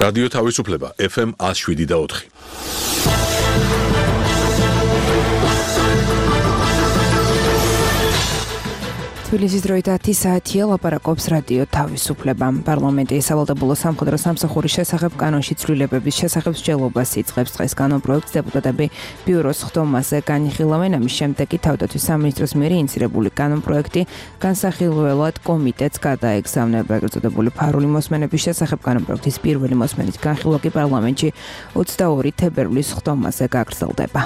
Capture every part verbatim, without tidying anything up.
რადიო თავისუფლება ეფ ემ one oh seven და four. თბილისის დროით ათი საათია ლაპარაკობს რადიო თავისუფლება. პარლამენტი სავალდებულო სამხედრო სამსახურის შესახებ კანონში ცვლილებების შესახებ მსჯელობას იწყებს. დღეს კანონპროექტს დეპუტატები ბიუროს ხდომაზე განიხილავენ. ამის შემდეგ კი თავდაცვის სამინისტროს მიერ ინიცირებული კანონპროექტი განსახილველად კომიტეტს გადაეგზავნება. ეგრეთ წოდებული ფარული მოსმენების შესახებ კანონპროექტის პირველი მოსმენით განხილვა კი პარლამენტში ოცდაორი თებერვლის ხდომაზე გაგრძელდება.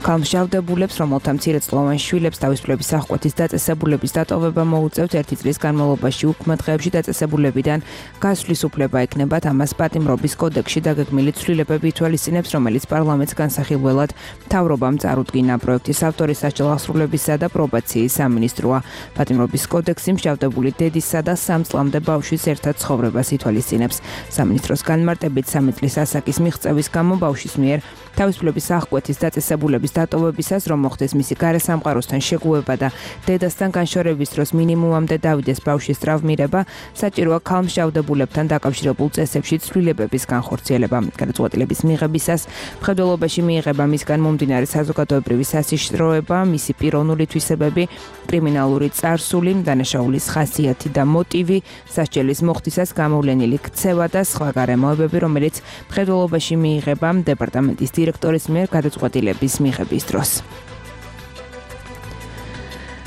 Გამშავდებულებს, რომელთა მცირეწლოვან შვილებს თავისუფლების აღკვეთის დაწესებულების დატოვება მოუწევთ ერთი წლის განმავლობაში უქმე დღეებში დაწესებულებიდან გასვლის უფლება ექნებათ. ამას პატიმრობის კოდექსში დაგეგმილი ცვლილებები ითვალისწინებს, რომელიც პარლამენტს განსახილველად მთავრობამ წარუდგინა. პროექტის ავტორი სასჯელ აღსრულებისა და პრობაციის სამინისტროა. პატიმრობის კოდექსი მშავდებული დედისა და სამ წლამდე ბავშვის ერთად ცხოვრებას ითვალისწინებს. სამინისტროს განმარტებით სამი წლის ასაკის მიღწევის გამო ბავშვის მიერ თავისუფლების აღკვეთის დაწესებულების დატოვებისას, რომ მოხდეს მისი გარესამყაროსთან შეგუება და დედასთან განშორების დროს მინიმუმამდე დავიდეს ბავშვის ტრავმირება, საჭიროა ქალმშავდებულებთან დაკავშირებულ წესებში ცვლილებების განხორციელება. გადაწყვეტილების მიღებისას მხედველობაში მიიღება მისგან მომდინარე საზოგადოებრივი სასიშროება, მისი პიროვნული თვისებები, კრიმინალური წარსული, დანაშაულის ხასიათი და მოტივი, სასჯელის მოხდისას გამოვლენილი ქცევა და სხვა გარემოებები, რომელიც მხედველობაში მიიღება დეპარტამენტის დირექტორის მიერ გადაწყვეტილების მიღების დროს.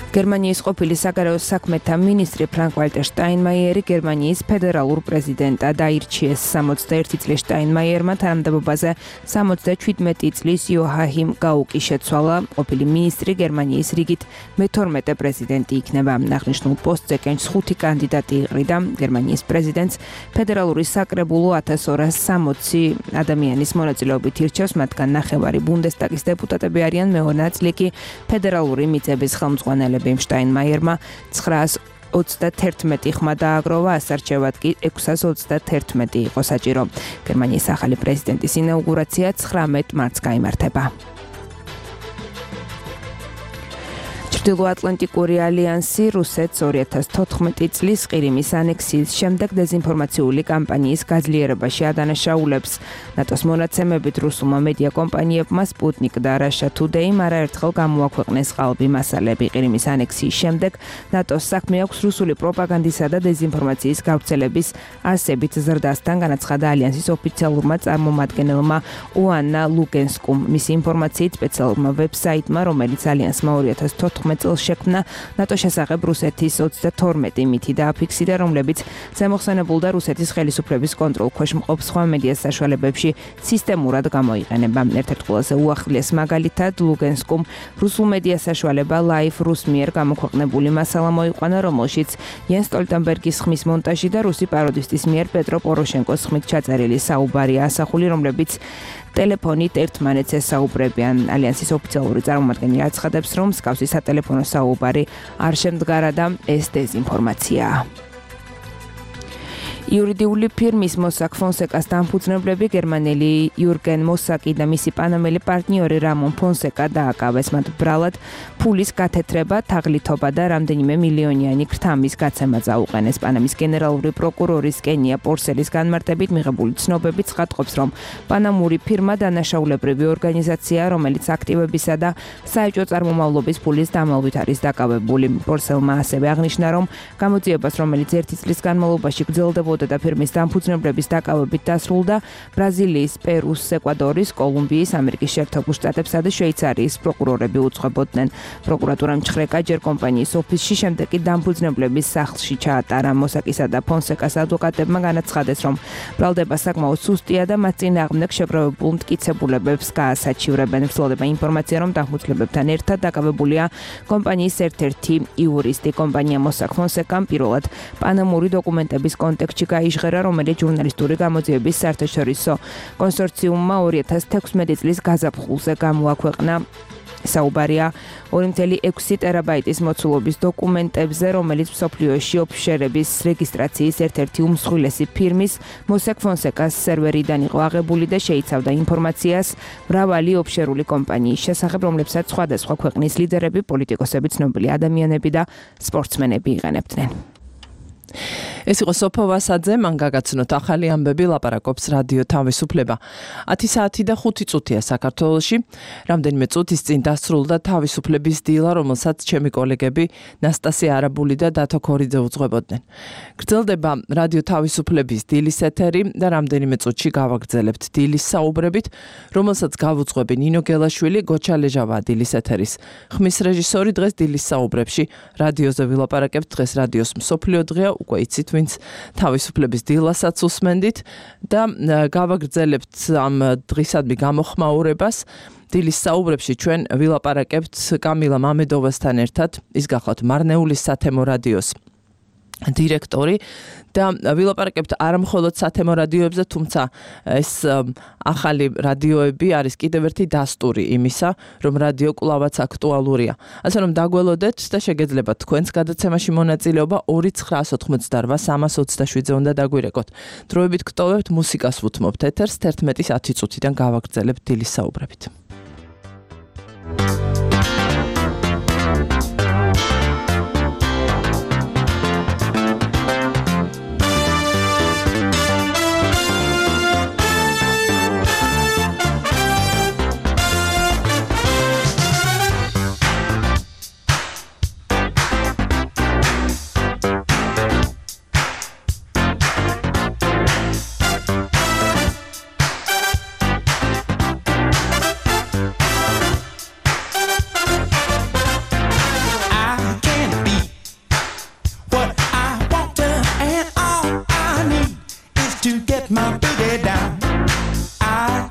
გერმანიის ყოფილი საგარეო საქმეთა მინისტრი ფრანკ-ვალტერ შტაინმაიერი გერმანიის ფედერალურ პრეზიდენტად აირჩიეს. სამოცდაერთი წლის შტაინმაიერმა თანამდებობაზე სამოცდაჩვიდმეტი წლის იოაჰიმ გაუკი შეცვალა. ყოფილი მინისტრი გერმანიის რიგით მეთორმეტე პრეზიდენტი იქნება. აღნიშნულ პოსტზე კენჭს ხუთი კანდიდატი იყრიდა. გერმანიის პრეზიდენტს ფედერალური საკრებულო ათას ორას სამოცი ადამიანის მონაწილეობით ირჩევს, მათგან ნახევარი ბუნდესტაგის დეპუტატები არიან, მეორე ნაწილი კი ფედერალური მიწების ხელმძღვანელები. შტაინმაიერმა ცხრაას ოცდათერთმეტი ხმა დააგროვა, ასარჩევად კი ექვსას ოცდათერთმეტი იყო საჭირო. გერმანიის ახალი პრეზიდენტის ინაუგურაცია ცხრამეტ მარტს გაიმართება. ჩრდილოატლანტიკური ალიანსი რუსეთს ორი ათას თოთხმეტი წლის ყირიმის ანექსიის შემდეგ დეზინფორმაციული კამპანიის გაძლიერებაში ადანაშაულებს. ნატოს მონაცემებით რუსულმა მედია კომპანიებმა Sputnik და Russia Today არაერთხელ გამოაქვეყნეს ყალბი მასალები. ყირიმის ანექსიის შემდეგ ნატოს საქმე აქვს რუსული პროპაგანდისა და დეზინფორმაციის გავრცელების არსებით ზრდასთან, განაცხადა ალიანსის ოფიციალურმა წარმომადგენელმა ოანა ლუგენსკუმ. მისი ინფორმაციით სპეციალურმა ვებსაიტმა, რომელიც ალიანსმა ორი ათას თოთხმეტ წელს შექმნა, ნატო შესახებ რუსეთის ოცდათორმეტი მითი დააფიქსირა, რომლებიც ზემოხსენებულ და რუსეთის ხელისუფლების კონტროლქვეშ მყოფ სხვა მედია საშუალებებში სისტემურად გამოიყენება. ერთ-ერთ ყველაზე უახლეს მაგალითად ლუგენსკუმ რუსულ მედია საშუალება Live Rus მიერ გამოქვეყნებული მასალა მოიყვანა, რომელშიც იენ სტოლტენბერგის ხმის მონტაჟი და რუსი პაროდისტის მიერ პეტრო პოროშენკოს ხმით ჩაწერილი საუბარია ასახული, რომლებიც ტელეფონით ერთმანეთს ესაუბრებიან. ალიანსის ოფიციალური წარმომადგენელი აცხადებს, რომ მსგავსი სატელეფონო საუბარი არ შემდგარა და ეს დეზინფორმაციაა. იურიდიული ფირმის Mossack Fonseca-ს დამფუძნებლები გერმანელი იურგენ მოსაკი და მისი პანამელი პარტნიორი რამონ ფონსეკა დააკავეს. მათ ბრალად ფულის გათეთრება, თაღლითობა და რამდენიმე მილიონიანი ქრთამის გაცემა წაუყენეს. პანამის გენერალური პროკურორის კენია პორსელის განმარტებით მიღებული ცნობები ცხადყოფს, რომ პანამური ფირმა დანაშაულებრივი ორგანიზაცია, რომელიც აქტივებისა და საეჭვო წარმომავლობის ფულის დამალვით არის დაკავებული. პორსელმა ასევე აღნიშნა, რომ გამოძიებას, რომელიც ერთი წლის განმავლობაში გრძელდებოდა და ფირმის დამფუძნებლების დაკავებით დასრულდა, ბრაზილიის, პერუს, ეკვადორის, კოლუმბიის, ამერიკის შეერთებულ შტატებსა და შვეიცარიის პროკურორები უძღვებოდნენ. პროკურატურამ ჩხრეკა ჯერ კომპანიის ოფისში, შემდეგ კი დამფუძნებლების სახლში ჩაატარა. მოსაკისა და ფონსეკას ადვოკატებმა განაცხადეს, რომ ბრალდება საკმაოდ სუსტია და მათ წინააღმდეგ შეგროვებულ მტკიცებულებებს გაასაჩივრებენ. ვრცელდება ინფორმაცია, რომ დამფუძნებლებთან ერთად დაკავებულია კომპანიის ერთ-ერთი იურისტი. კომპანია Mossack Fonseca პირველად პანამური დოკუმენტების კონტექსტში გაიჟღერა, რომელიც ჟურნალისტური გამოძიების საერთაშორისო კონსორციუმმა ორი ათას თექვსმეტი წლის გაზაფხულზე გამოაქვეყნა. საუბარია ორი ათეული ექვსი ტერაბაიტის მოცულობის დოკუმენტებზე, რომელიც მსოფლიოში ოფშორების რეგისტრაციის ერთ-ერთი უმსხვილესი ფირმის Mossack Fonseca-ს სერვერიდან იყო აღებული და შეიცავდა ინფორმაციას მრავალი ოფშორული კომპანიის შესახებ, რომლებსაც სხვადასხვა ქვეყნის ლიდერები, პოლიტიკოსები, ცნობილი ადამიანები და სპორტსმენები იყენებდნენ. ეს იყო სოფო ვასაძე, მან გაგაცნოთ ახალი ამბები, ლაპარაკობს რადიო თავისუფლება. ათი საათი და ხუთი წუთია საქართველოში. რამდენიმე წუთის წინ დასრულდა თავისუფლების დილა, რომელსაც ჩემი კოლეგები ნასტასია არაბული და დათო ქორიძე უძღვებოდნენ. გრძელდება რადიო თავისუფლების დილის ეთერი და რამდენიმე წუთში გავაგრძელებთ დილის საუბრებით, რომელსაც გავუძღვები ნინო გელაშვილი, გოჩა ლეჟავა დილის ეთერის ხმის რეჟისორი. დღეს დილის საუბრებში რადიოზე ვილაპარაკებთ. დღეს რადიოს მსოფლიო დღეა, უკვე იცით ვინც თავისუფლების დილასაც უსმენდით და გავაგრძელებთ ამ დღისადმი გამოხმაურებას. დილის საუბრებში ჩვენ ვილაპარაკებთ კამილა მამედოვასთან ერთად, ის გახლავთ მარნეულის სათემო რადიოს დირექტორი და ვილაპარაკებთ არა მხოლოდ სათემო რადიოებზე, თუმცა ეს ახალი რადიოები არის კიდევ ერთი დასტური იმისა, რომ რადიო კვლავაც აქტუალურია. ასე რომ დაგველოდეთ და შეგეძლებათ თქვენს გადაცემაში მონაწილეობა ორი ცხრაას ოთხმოცდარვა სამას ოცდაშვიდზე უნდა დაგვირეკოთ. დროებით გტოვებთ, მუსიკას ვუთმობთ ეთერს, თერთმეტის ათი წუთიდან გავაგრძელებთ დილის საუბრებით. My boogie down. I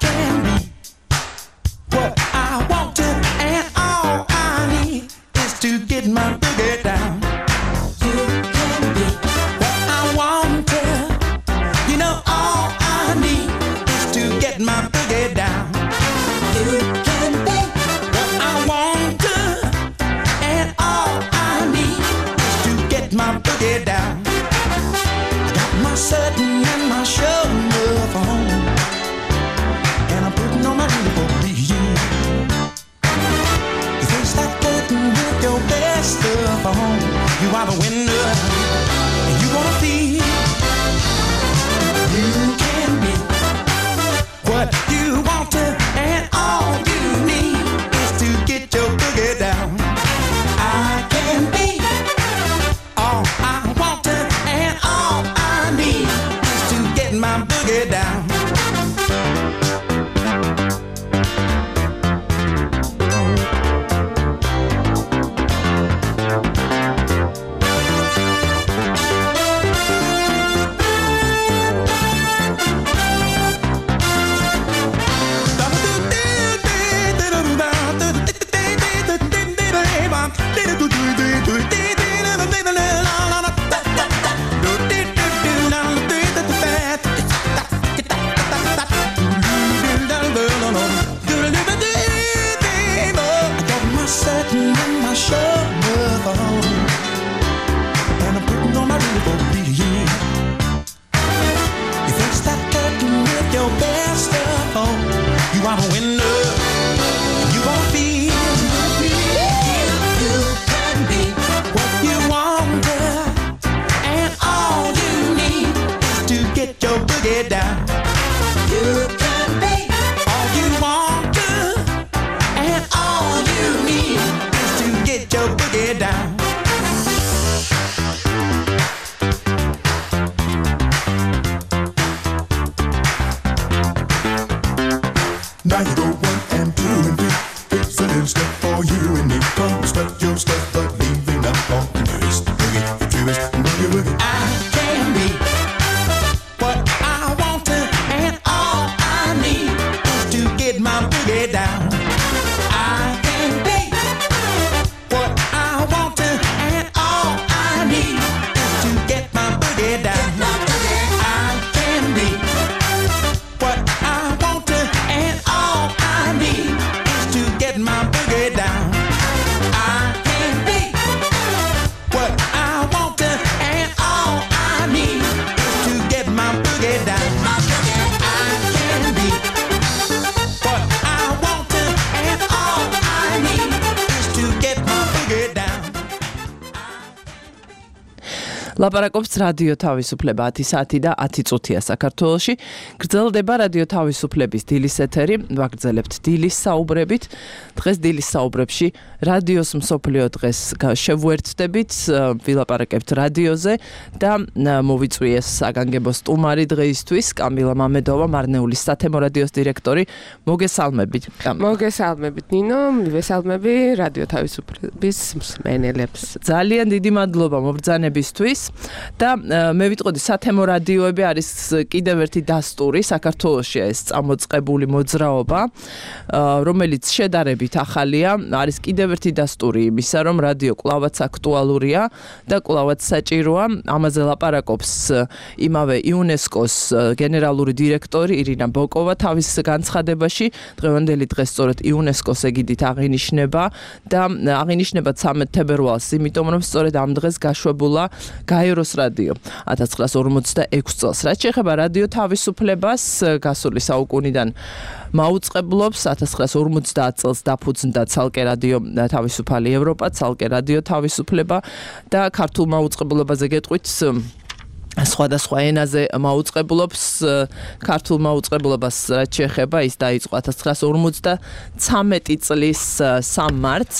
can be ლაპარაკობს რადიო თავისუფლება ათი საათი და ათი წუთია საქართველოში. გრძელდება რადიო თავისუფლების დილის ეთერი, ვაგრძელებთ დილის საუბრებით. დღეს დილის საუბრებში რადიოს მსოფლიო დღეს შევუერთდებით, ვილაპარაკებთ რადიოზე და მოვიწვიეს საგანგებო სტუმარი დღეისთვის კამილა მამედოვა, მარნეულის სათემო რადიოს დირექტორი. მოგესალმებით. მოგესალმებით ნინო, მივესალმები რადიო თავისუფლების მსმენელებს. ძალიან დიდი მადლობა მობრძანებისთვის და მე ვიტყოდი სათემო რადიოები არის კიდევ ერთი დასტური საქართველოში ეს წამოწყებული მოძრაობა, რომელიც შედარებით ახალია, არის კიდევ ერთი დასტური იმისა, რომ რადიო კვლავაც აქტუალურია და კვლავაც საჭიროა. ამაზე ლაპარაკობს იმავე იუნესკოს გენერალური დირექტორი ირინა ბოკოვა თავის განცხადებაში. დღევანდელი დღე სწორედ იუნესკოს ეგიდით აღინიშნება და აღინიშნება ცამეტ თებერვალს, იმიტომ რომ სწორედ ამ დღეს გაშვებულა გაეროს რადიო ათას ცხრაას ორმოცდაექვსი წელს. რაც შეეხება რადიო თავისუფლებას, გასული საუკუნიდან მაუწყებლობს ათას ცხრაას ორმოცდაათ წელს დაფუძნდა ცალკე რადიო თავისუფალი ევროპა, ცალკე რადიო თავისუფლება და ქართულ მაუწყებლობაზე გეტყვით სხვადასხვა ენაზე მაუწყებლობს. ქართულ მაუწყებლობას რაც შეეხება, ის დაიწყო ათას ცხრაას ორმოცდაცამეტი წლის სამ მარტს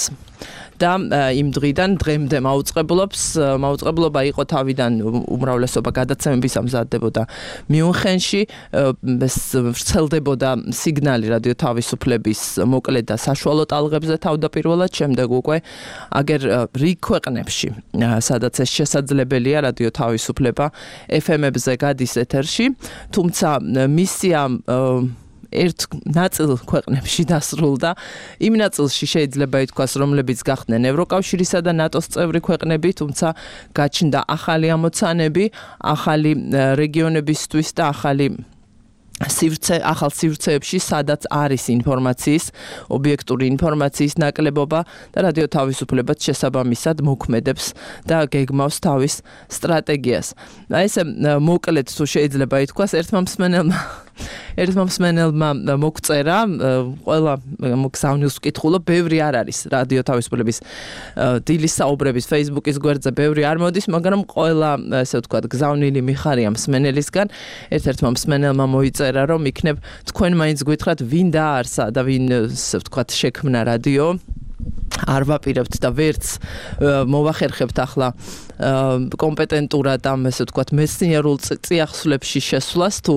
და იმ დღიდან დღემდე მაუწყებლობს. მაუწყებლობა იყო თავიდან უმრავლესობა გადაცემების ამზადებოდა მიუნხენში, ვრცელდებოდა სიგნალი რადიო თავისუფლების მოკლედ და საშუალო ტალღებზე თავდაპირველად, შემდეგ უკვე აგერ რიგ ქვეყნებში, სადაც ეს შესაძლებელია რადიო თავისუფლება ეფ ემებზე გადის ეთერში, თუმცა მისია ერთ ნაწილ ქვეყნებში დასრულდა. იმ ნაწილში შეიძლება ითქვას, რომლებიც გახდნენ ევროკავშირისა და ნატოს წევრი ქვეყნები, თუმცა გაჩნდა ახალი ამოცანები, ახალი რეგიონებისთვის და ახალი სივრცე, ახალ სივრცეებში, სადაც არის ინფორმაციის, ობიექტური ინფორმაციის ნაკლებობა და რადიო თავისუფლებაც შესაბამისად მოქმედებს და გეგმავს თავის სტრატეგიას. ესე მოკლედ თუ შეიძლება ითქვას, ერთმა მსმენელმა ერთმა მსმენელმა მოგწერა, ყველა მოგზავნილს ვკითხულობ, ბევრი არ არის რადიო თავისუფლების დილის საუბრების Facebook-ის გვერდზე, ბევრი არ მოდის, მაგრამ ყველა, ესე ვთქვათ, გზავნილი მიხარია მსმენელისგან. ერთ-ერთმა მსმენელმა მოიწერა, რომ იქნებ თქვენ მაინც გითხრათ, ვინ დაარსა და ვინ, ესე ვთქვათ, შექმნა რადიო. არ ვაპირებთ და ვერც მოვახერხებთ ახლა კომპეტენტურად ამ, ესე ვთქვათ, მეცნიერულ წიაღსვლებში შესვლას, თუ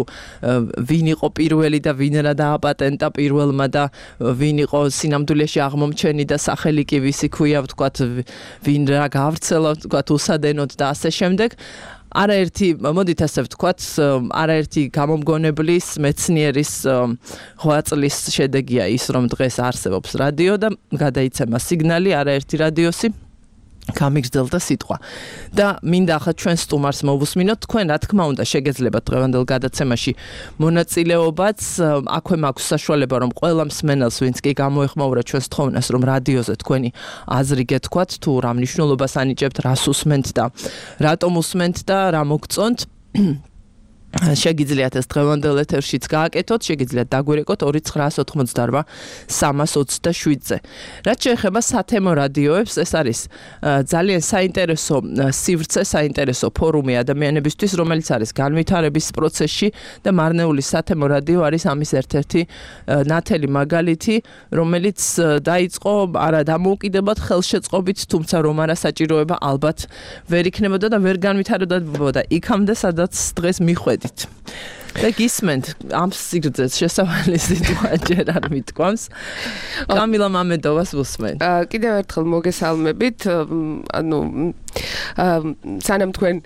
ვინ იყო პირველი და ვინ რა დააპატენტა პირველმა და ვინ იყო სინამდვილეში აღმომჩენი და სახელი კი ვისი ქვია, ვთქვათ, ვინ რა გაავრცელა, ვთქვათ, უსადენოდ და ასე შემდეგ. არაერთი, მოდით ასე ვთქვათ, არაერთი გამომგონებლის მეცნიერის ღვაწლის შედეგია ის, რომ დღეს არსებობს რადიო და გადაიცემა სიგნალი, არაერთი რადიოსი გამიგრძელდა სიტყვა. და მინდა ახლა ჩვენ სტუმარს მოვუსმინოთ, თქვენ რა თქმა უნდა შეგეძლებათ დღევანდელ გადაცემაში მონაწილეობაც, აქვე მაქვს საშუალება, რომ ყველა მსმენელს, ვინც კი გამოეხმაურა ჩვენს თხოვნას, რომ რადიოზე თქვენი აზრი გეთქვათ, თუ რა მნიშვნელობას ანიჭებთ, რას უსმენთ და რატომ უსმენთ და რა მოგწონთ. შეგიძლიათ ეს დღევანდელ ეთერშიც გააკეთოთ, შეგიძლიათ დაგვირეკოთ ორი ცხრაას ოცდაოთხმოცდაარბა სამას ოცდაშვიდზე. რაც შეეხება სათემო რადიოებს, ეს არის ძალიან საინტერესო სივრცე, საინტერესო ფორუმი ადამიანებისთვის, რომელიც არის განვითარების პროცესში და მარნეულის სათემო რადიო არის ამის ერთ-ერთი ნათელი მაგალითი, რომელიც დაიწყო არა დამოუკიდებლად ხელშეწყობით, თუმცა რომ არა საჭიროება ალბათ ვერ იქნებოდა და ვერ განვითარებოდა იქამდე, სადაც დღეს მიხვედით. და გისმენთ ამ სიგრძეს შესავალი სიტყვა ჯერ არ მიტყვამს. კამილა მამედოვას ვუსმენთ. კიდევ ერთხელ მოგესალმებით. ანუ სანამ თქვენ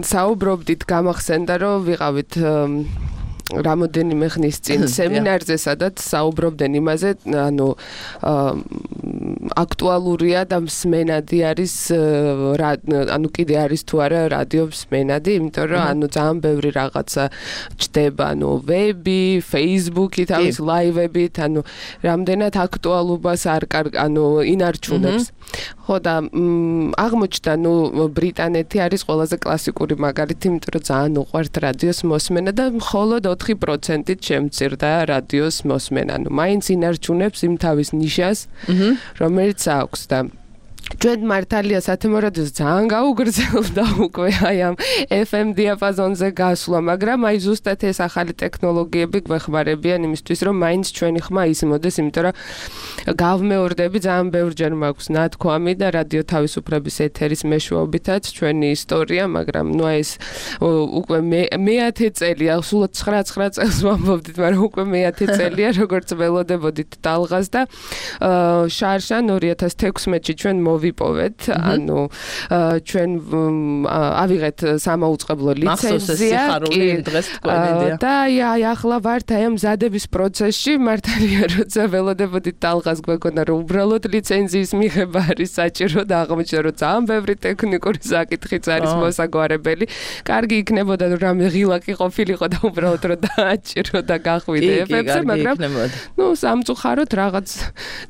საუბრობდით, გამახსენდა, რომ ვიყავით რამოდენიმე ხნის წინ სემინარზე, სადაც საუბრობდნენ იმაზე, ანუ აქტუალურია და მსმენადი არის, ანუ კიდე არის თუ არა რადიო მსმენადი, იმიტომ რომ ანუ ძალიან ბევრი რაღაცა ჩდება, ანუ ვები, Facebook-ი, თავის ლაივებით, ანუ რამდენად აქტუალობას არ ანუ ინარჩუნებს. ხო და აღმოჩნდა, ნუ ბრიტანეთი არის ყველაზე კლასიკური მაგალითი, იმიტომ რომ ძალიან უყვართ რადიოს მოსმენა და მხოლოდ ოთხი პროცენტით შემცირდა რადიოს მოსმენა. ნუ მაინც ინარჩუნებს იმ თავის ნიშას, რომელიც აქვს და ჩვენ მართალია სათემო რადიოს ძალიან გაუგრძელდა უკვე აი ამ ეფ ემ დიაპაზონზე გასვლა, მაგრამ აი ზუსტად ეს ახალი ტექნოლოგიები გვეხმარებიან იმისთვის, რომ მაინც ჩვენი ხმა ისმოდეს, იმიტომ რომ გავმეორდები ძალიან ბევრჯერ მაქვს ნათქვამი და რადიო თავისუფლების ეთერის მეშვეობითაც ჩვენი ისტორია, მაგრამ ნუ ეს უკვე მეათე წელია, სულ ცხრა ცხრა წელს ვამბობდით, მაგრამ უკვე მეათე წელია, როგორც ველოდებოდით ტალღას და შარშან ორი ათას თექვსმეტში ჩვენ მოვიპოვეთ, ანუ ჩვენ ავიღეთ სამაუწყებლო ლიცენზია და აი ახლა ვართ აი ამ მზადების პროცესში, მართალია როცა ველოდებოდით ტალღას გვეკონა რომ უბრალოდ ლიცენზიის მიღება არის საჭირო და აღმოჩნდა რომ ძალიან ბევრი ტექნიკური საკითხიც არის მოსაგვარებელი. კარგი იქნებოდა რომ რამე ღილაკი ყოფილიყო და უბრალოდ რომ დააჭირო და გახვიდე ეფებზე, მაგრამ ნუ სამწუხაროდ რაღაც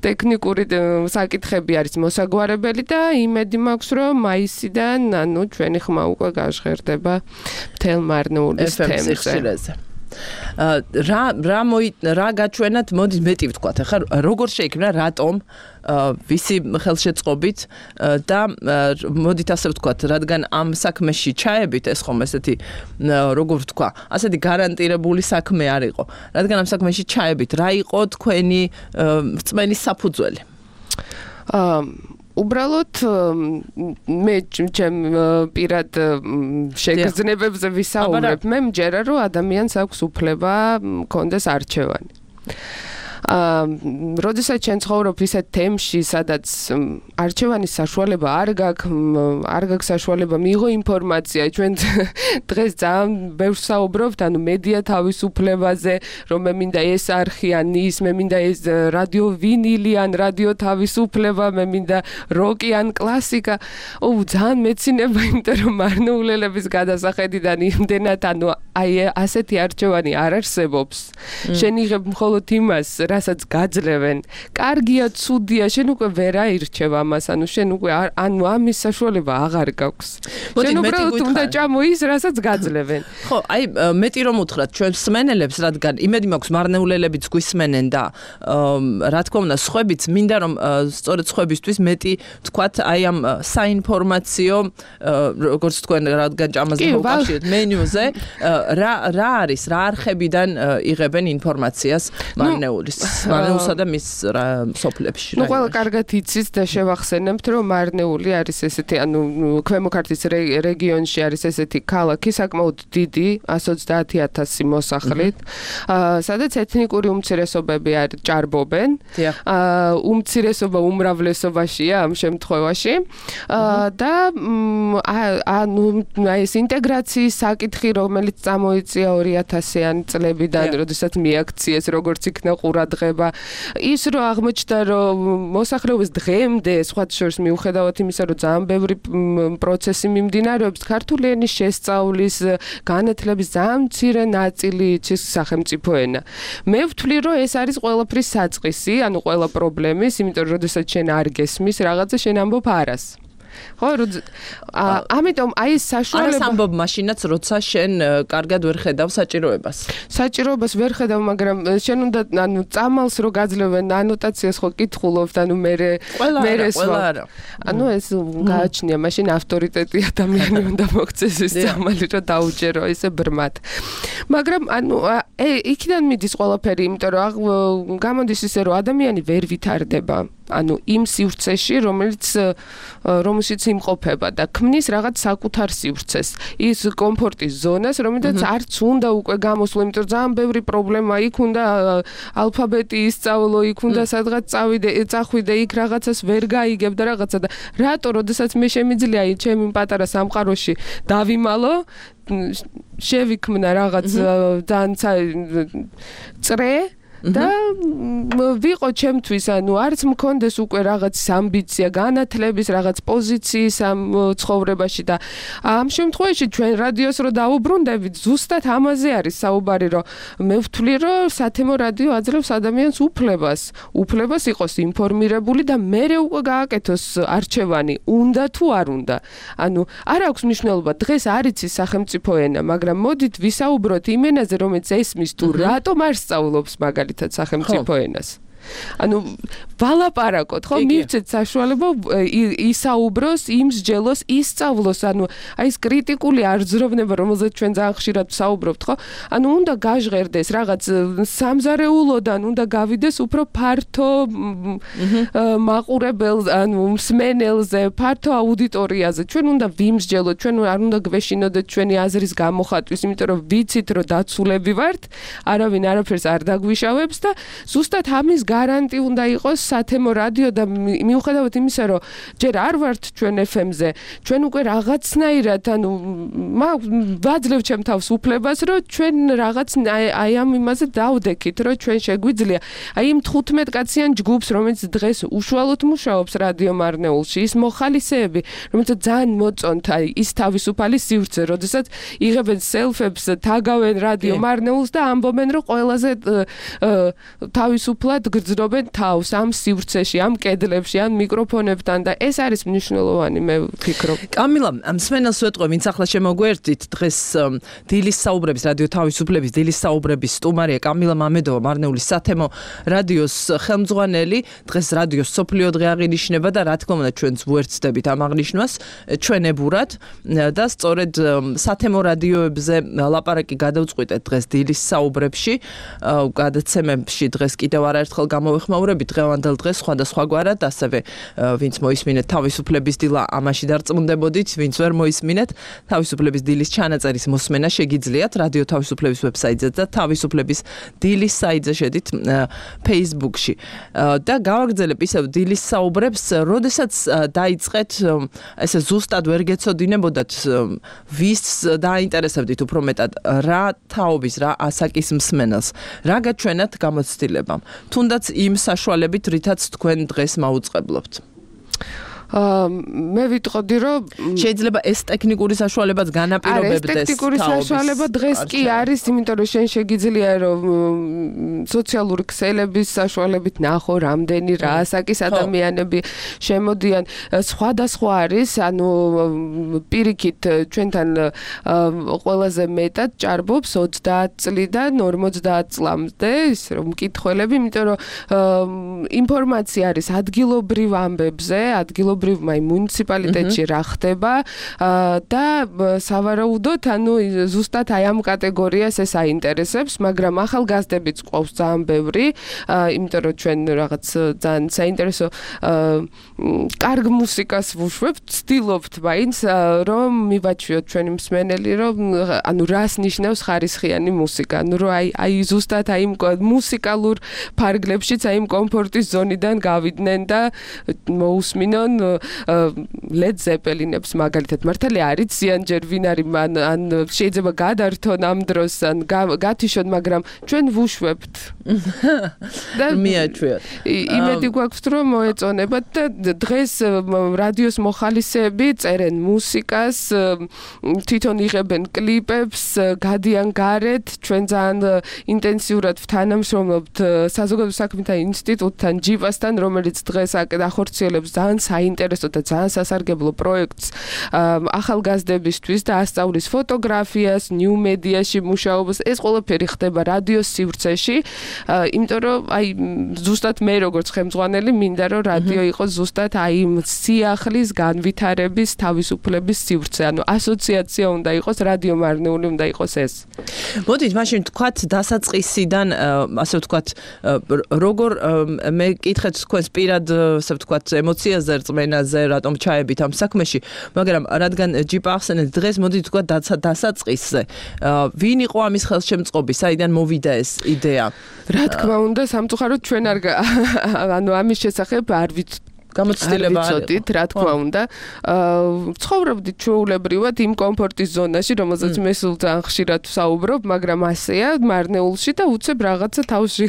ტექნიკური საკითხები არის მოსაგვარებელი და იმედი მაქვს რომ მაისიდან ანუ ჩვენი ხმა უკვე გაჟღერდება მთელ მარნეულის თემზე. რა რა მოი რა გაჩვენათ, მოდი მეტი ვთქვათ, ახლა როგორ შეიქმნა, რატომ, ვისი ხელშეწყობით და მოდით ასე ვთქვათ, რადგან ამ საქმეში ჩაებით, ეს ხომ ესეთი როგორ ვთქვა, ასეთი გარანტირებული საქმე არ იყო, რადგან ამ საქმეში ჩაებით, რა იყო თქვენი რწმენის საფუძველი? უბრალოდ მე ჩემ პირად შეგრძნებებზე ვისაუბრებ, მე მჯერა რომ ადამიანს აქვს უფლება კონდეს არჩევანი. აა როდესაც ჩვენ ცხოვრობ ისეთ თემში, სადაც არჩევანის საშუალება არ გაქვს, არ გაქვს საშუალება მიიღო ინფორმაცია. ჩვენ დღეს ძალიან ბევრს საუბრობთ, ანუ მედია თავისუფლებაზე, რომ მე მინდა ეს არხი ან ის, მე მინდა ეს რადიო ვინილი ან რადიო თავისუფლება, მე მინდა როკი ან კლასიკა. ო, ძალიან მეცინება, იმიტომ რომ მარნეულელების გადასახედიდან იმდენად, ანუ აი ასეთი არჩევანი არ არსებობს. შენ იღებ მხოლოდ იმას, რასაც გაძლევენ. კარგია, ცუდია, შენ უკვე ვერ აირჩევ ამას, ანუ შენ უკვე ანუ ამის საშუალება აღარ გაქვს. შენ უბრალოდ უნდა ჭამო ის, რასაც გაძლევენ. ხო, აი მეტი რომ უთხრათ ჩვენ სმენელებს, რადგან იმედი მაქვს მარნეულელებიც გვისმენენ და რა თქმა უნდა, სხვებიც მინდა რომ სწორედ სხვებისთვის მეტი თქვათ აი ამ საინფორმაციო, როგორც თქვენ რადგან ჭამაზე მოვკავშირეთ მენიუზე, რა რა არის, რა არხებიდან იღებენ ინფორმაციას მარნეულის მარნეულსა და მის სოფლებში. ნუ ყველა კარგად იცით და შევახსენებთ, რომ მარნეული არის ესეთი, ანუ ქვემო ქართლის რეგიონში არის ესეთი ქალაქი, საკმაოდ დიდი, ას ოცდაათი ათასი მოსახლით, სადაც ეთნიკური უმცირესობები არ ჭარბობენ. უმცირესობა უმრავლესობაშია ამ შემთხვევაში. და ანუ ეს ინტეგრაციის საკითხი, რომელიც წამოიწია ორი ათასიანი წლებიდან, როდესაც მიაქციეს როგორც იქნა ყურადღება, ის რომ აღმოჩნდა რომ მოსახლეობის დღემდე სხვა შორის მიუხედავად იმისა რომ ძალიან ბევრი პროცესი მიმდინარეობს, ქართული ენის შესწავლის განათლების ძალიან მცირე ნაწილი იცის სახელმწიფო ენა. მე ვთვლი რომ ეს არის ყველაფრის საწყისი, ანუ ყველა პრობლემის, იმიტომ რომ როდესაც შენ არ გესმის რაღაცა, შენ ამბობ არას. ხო, ამიტომ აი ეს საშუალება არის ამბობ მაშინაც, როცა შენ კარგად ვერ ხედავ საჭიროებას. საჭიროებას ვერ ხედავ, მაგრამ შენ უნდა ანუ წამალს რო გაძლევენ ანოტაციას ხო კითხულობთ, ანუ მე მე ეს ანუ ეს გააჩნია, მაშინ ავტორიტეტი ადამიანი უნდა მოქცეს ეს წამალი რომ დაუჯერო ესე ბრმად. მაგრამ ანუ იქიდან მიდის ყველაფერი, იმიტომ რომ გამოდის ისე რომ ადამიანი ვერ ვითარდება. ანუ იმ სივრცეში, რომელიც რომელშიც იმყოფება და ქმნის რაღაც საკუთარ სივრცეს, ის კომფორტის ზონას, რომელსაც არც უნდა უკვე გამოსვლა, იმიტომ რომ ძალიან ბევრი პრობლემა იქ უნდა ალფაბეტი ისწავლო, იქ უნდა სადღაც წავიდე, წახვიდე, იქ რაღაცას ვერ გაიგებ და რაღაცა და რატო, როდესაც მე შემიძლია აი ჩემი პატარა სამყაროში დავიმალო, შევიქმნა რაღაც ძალიან წრე და ვიყო ჩემთვის, ანუ არც მქონდეს უკვე რაღაც ამბიცია, განათლების რაღაც პოზიციის ამ ცხოვრებაში და ამ შემთხვევაში ჩვენ რადიოს რო დაუბრუნდებით, ზუსტად ამაზე არის საუბარი, რომ მე ვთვლი, რომ სათემო რადიო აძლევს ადამიანს უფლებას, უფლებას იყოს ინფორმირებული და მერე უკვე გააკეთოს არჩევანი, უნდა თუ არ უნდა. ანუ არ აქვს მნიშვნელობა, დღეს არ იცის სახელმწიფო ენა, მაგრამ მოდით ვისაუბროთ იმ ენაზე, რომელიც ესმის თუ რატომ არ სწავლობს მაგალითად სახელმწიფო ენას. ანუ ვალაპარაკოთ, ხო, მივცეთ საშუალება ისაუბროს, იმსჯელოს, ისწავლოს, ანუ აი ეს კრიტიკული არძროვნება, რომელზეც ჩვენ ძალიან ხშირად ვსაუბრობთ, ხო? ანუ უნდა გაჟღერდეს რაღაც სამზარეულოდან, უნდა გავიდეს უფრო ფართო მაყურებელს, ანუ მსმენელზე, ფართო აუდიტორიაზე. ჩვენ უნდა ვიმსჯელოთ, ჩვენ არ უნდა გვეშინოდეთ ჩვენი აზრის გამოხატვის, იმიტომ რომ ვიცით, რომ დაცულები ვართ, არავინ არაფერს არ დაგვიშავებს და ზუსტად ამის გარანტი უნდა იყოს სათემო რადიო და მიუხედავად იმისა, რომ ჯერ არ ვართ ჩვენ ეფ ემ-ზე, ჩვენ უკვე რაღაცნაირად, ანუ ვაძლევ ჩემ თავს უფლებას, რომ ჩვენ რაღაც აი ამ იმაზე დავდექით, რომ ჩვენ შეგვიძლია აი იმ თხუთმეტ კაციან ჯგუფს, რომელიც დღეს უშუალოდ მუშაობს რადიო მარნეულში, ის მოხალისეები, რომელიც ძალიან მოწონთ აი ის თავისუფალი სივრცე, როდესაც იღებენ სელფებს, თაგავენ რადიო მარნეულს და ამბობენ, რომ ყველაზე თავისუფლად გრძნობენ თავს ამ სივრცეში, ამ კედლებში, ამ მიკროფონებთან და ეს არის მნიშვნელოვანი, მე ვფიქრობ. კამილა, მსმენელს ვეტყვი, ვინც ახლა შემოგვერთით, დღეს დილის საუბრების რადიო თავისუფლების დილის საუბრების სტუმარია კამილა მამედოვა, მარნეულის სათემო რადიოს ხელმძღვანელი. დღეს რადიოს სოფლიო დღე აღინიშნება და რა თქმა უნდა ჩვენც ვუერთდებით ამ აღნიშვნას ჩვენებურად და სწორედ სათემო რადიოებზე ლაპარაკი გადავწყვიტეთ დღეს დილის საუბრებში, გადაცემებში დღეს კიდევ არაერთხელ გამოვეხმაურებით დღევანდელ დღეს სხვადასხვაგვარად, ასევე ვინც მოისმინეთ თავისუფლების დილა, ამაში დარწმუნდებოდით, ვინც ვერ მოისმინეთ თავისუფლების დილის ჩანაწერის მოსმენა შეგიძლიათ რადიო თავისუფლების ვებსაიტზე და თავისუფლების დილის საიტზე შედით Facebook-ში. და გავაგრძელებ ისევ დილის საუბრებს, როდესაც დაიწყეთ ესე ზუსტად ვერ გეცოდინებოდათ ვის დაინტერესებდით უფრო მეტად რა თაობის, რა ასაკის მსმენელს, რა გაჩვენათ გამოცდილებამ, თუნდაც იმ საშუალებით, რითაც თქვენ დღეს მაუწყებლობთ. მე ვიტყოდი, რომ შეიძლება ეს ტექნიკური საშუალებაც განაპირობებდეს. ეს ტექნიკური საშუალება დღეს კი არის, იმიტომ რომ შენ შეგიძლია რომ სოციალური ქსელების საშუალებით ნახო, რამდენი რა ასაკის ადამიანები შემოდიან. სხვადასხვა არის, ანუ პირიქით ჩვენთან ყველაზე მეტად ჭარბობს ოცდაათ წლიდან ორმოცდაათ წლამდე, ის რომ მკითხველები, იმიტომ რომ ინფორმაცია არის ადგილობრივ ამბებზე, ადგილობრივ აი მუნიციპალიტეტში რა ხდება და სავარაუდოდ ანუ ზუსტად აი ამ კატეგორიას ეს აინტერესებს, მაგრამ ახალგაზრდებიც ყავს ძალიან ბევრი, იმიტომ რომ ჩვენ რაღაც ძალიან საინტერესო კარგ მუსიკას ვუშვებთ, ვცდილობთ მაინც რომ მივაჩვიოთ ჩვენი მსმენელი, რომ ანუ რას ნიშნავს ხარისხიანი მუსიკა, ანუ რომ აი აი ზუსტად აი მუსიკალურ ფარგლებშიც აი იმ კომფორტის ზონიდან გავიდნენ და მოусმინონ Led Zeppelin-ებს მაგალითად მართალია არ იციან ჯერ ვინ არის, ან შეიძლება გადართონ ამ დროს ან გათიშონ, მაგრამ ჩვენ ვუშვებთ. და მიაჩვიოთ. იმედი გვაქვს რომ მოეწონებათ და დღეს რადიოს მოხალისეები წერენ მუსიკას, თვითონ იღებენ კლიპებს, გადიან გარეთ, ჩვენ ძალიან ინტენსიურად ვთანამშრომლობთ საზოგადო საქმეთა ინსტიტუტთან, ჯიპასთან, რომელიც დღეს ახორციელებს ძალიან საინტერესო და ძალიან სასარგებლო პროექტს ახალგაზრდებისთვის და ასწავლის ფოტოგრაფიას, ნიუ მედიაში მუშაობას. ეს ყველაფერი ხდება რადიოს სივრცეში, იმიტომ რომ აი ზუსტად მე როგორც ხელმძღვანელი მინდა რომ რადიო იყოს ზუსტად აი იმ სიახლის განვითარების თავისუფლების სივრცე, ანუ ასოციაცია უნდა იყოს, რადიო მარნეული უნდა იყოს ეს. მოდით მაშინ თქვათ დასაწყისიდან, ასე ვთქვათ, როგორ მე კითხეთ თქვენს პირად, ასე ვთქვათ, ემოციაზე, რწმენაზე, რატომ ჩაებით ამ საქმეში, მაგრამ რადგან ჯიპა ახსენეთ დღეს, მოდით თქვათ დასაწყისზე. ვინ იყო ამის ხელშემწყობი, საიდან მოვიდა ეს იდეა? რა თქმა უნდა, სამწუხაროდ ჩვენ არ ანუ ამის შესახებ არ ვიცით გამოცდილება არისოდით, რა თქმა უნდა. ცხოვრობდით ჩვეულებრივად იმ კომფორტის ზონაში, რომელზეც მე სულ ძალიან ხშირად ვსაუბრობ, მაგრამ ასეა მარნეულში და უცებ რაღაცა თავში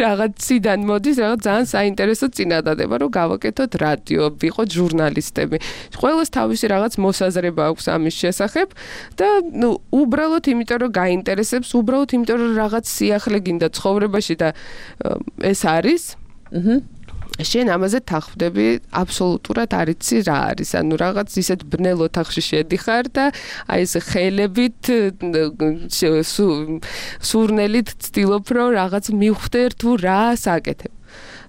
რაღაციდან მოდის, რაღაც ძალიან საინტერესო წინადადება, რომ გავაკეთოთ რადიო, ვიყოთ ჟურნალისტები. ყველას თავისი რაღაც მოსაზრება აქვს ამის შესახებ და ნუ უბრალოდ იმიტომ რომ გაინტერესებს, უბრალოდ იმიტომ რომ რაღაც სიახლე გინდა ცხოვრებაში და ეს არის. აჰა შენ ამაზე თახვდები აბსოლუტურად არ იცი რა არის ანუ რაღაც ისეთ ბნელ ოთახში შედიხარ და აი ეს ხელებით სურნელით ცდილობ რომ რაღაც მივხვდე თუ რა საკეთებ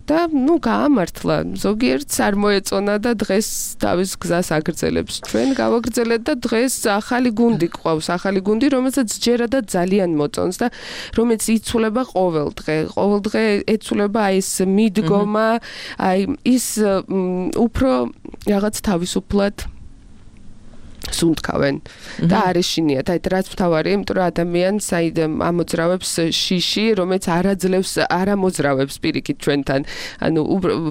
და ნუ გაამართლა ზოგიერთს არ მოეწონა და დღეს თავის გზას აგრძელებს ჩვენ გავაგრძელეთ და დღეს ახალი გუნდი ყავს ახალი გუნდი რომელსაც ჯერადად ძალიან მოწონს და რომელიც იცვლება ყოველ დღე ყოველ დღე ეცვლება აი ეს მიდგომა აი ის უფრო რაღაც თავისუფლად სუნთქავენ და არეშინიათ აი რაც მთავარია იმიტომ რომ ადამიანს აი ამოძრავებს შიში რომელიც არაძლევს არამოძრავებს პირიქით ჩვენთან ანუ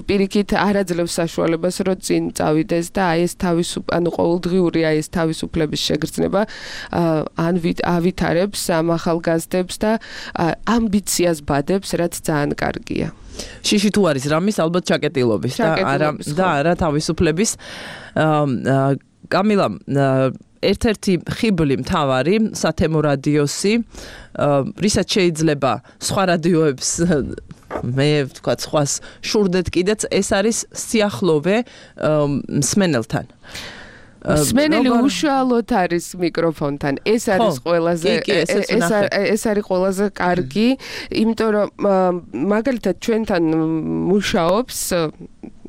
პირიქით არაძლევს საშუალებას რომ წინ წავიდეს და აი ეს თავისუფ ანუ ყოველდღიური აი ეს თავისუფლების შეგრძნება ან ავითარებს ამ ახალგაზრდებს და ამბიციას ბადებს რაც ძალიან კარგია შიში თუ არის რამის ალბათ ჩაკეტილობის და არა და არა თავისუფლების კამილა ერთ-ერთი ხიბლი მთავარი სათემო რადიოსი რისაც შეიძლება სხვა რადიოებს მე ვთქვა სხვას შურდეთ კიდეც ეს არის სიახლოვე მსმენელთან მსმენელი უშუალოდ არის მიკროფონთან ეს არის ყველაზე ეს არის ყველაზე კარგი იმიტომ რომ მაგალითად ჩვენთან მუშაობს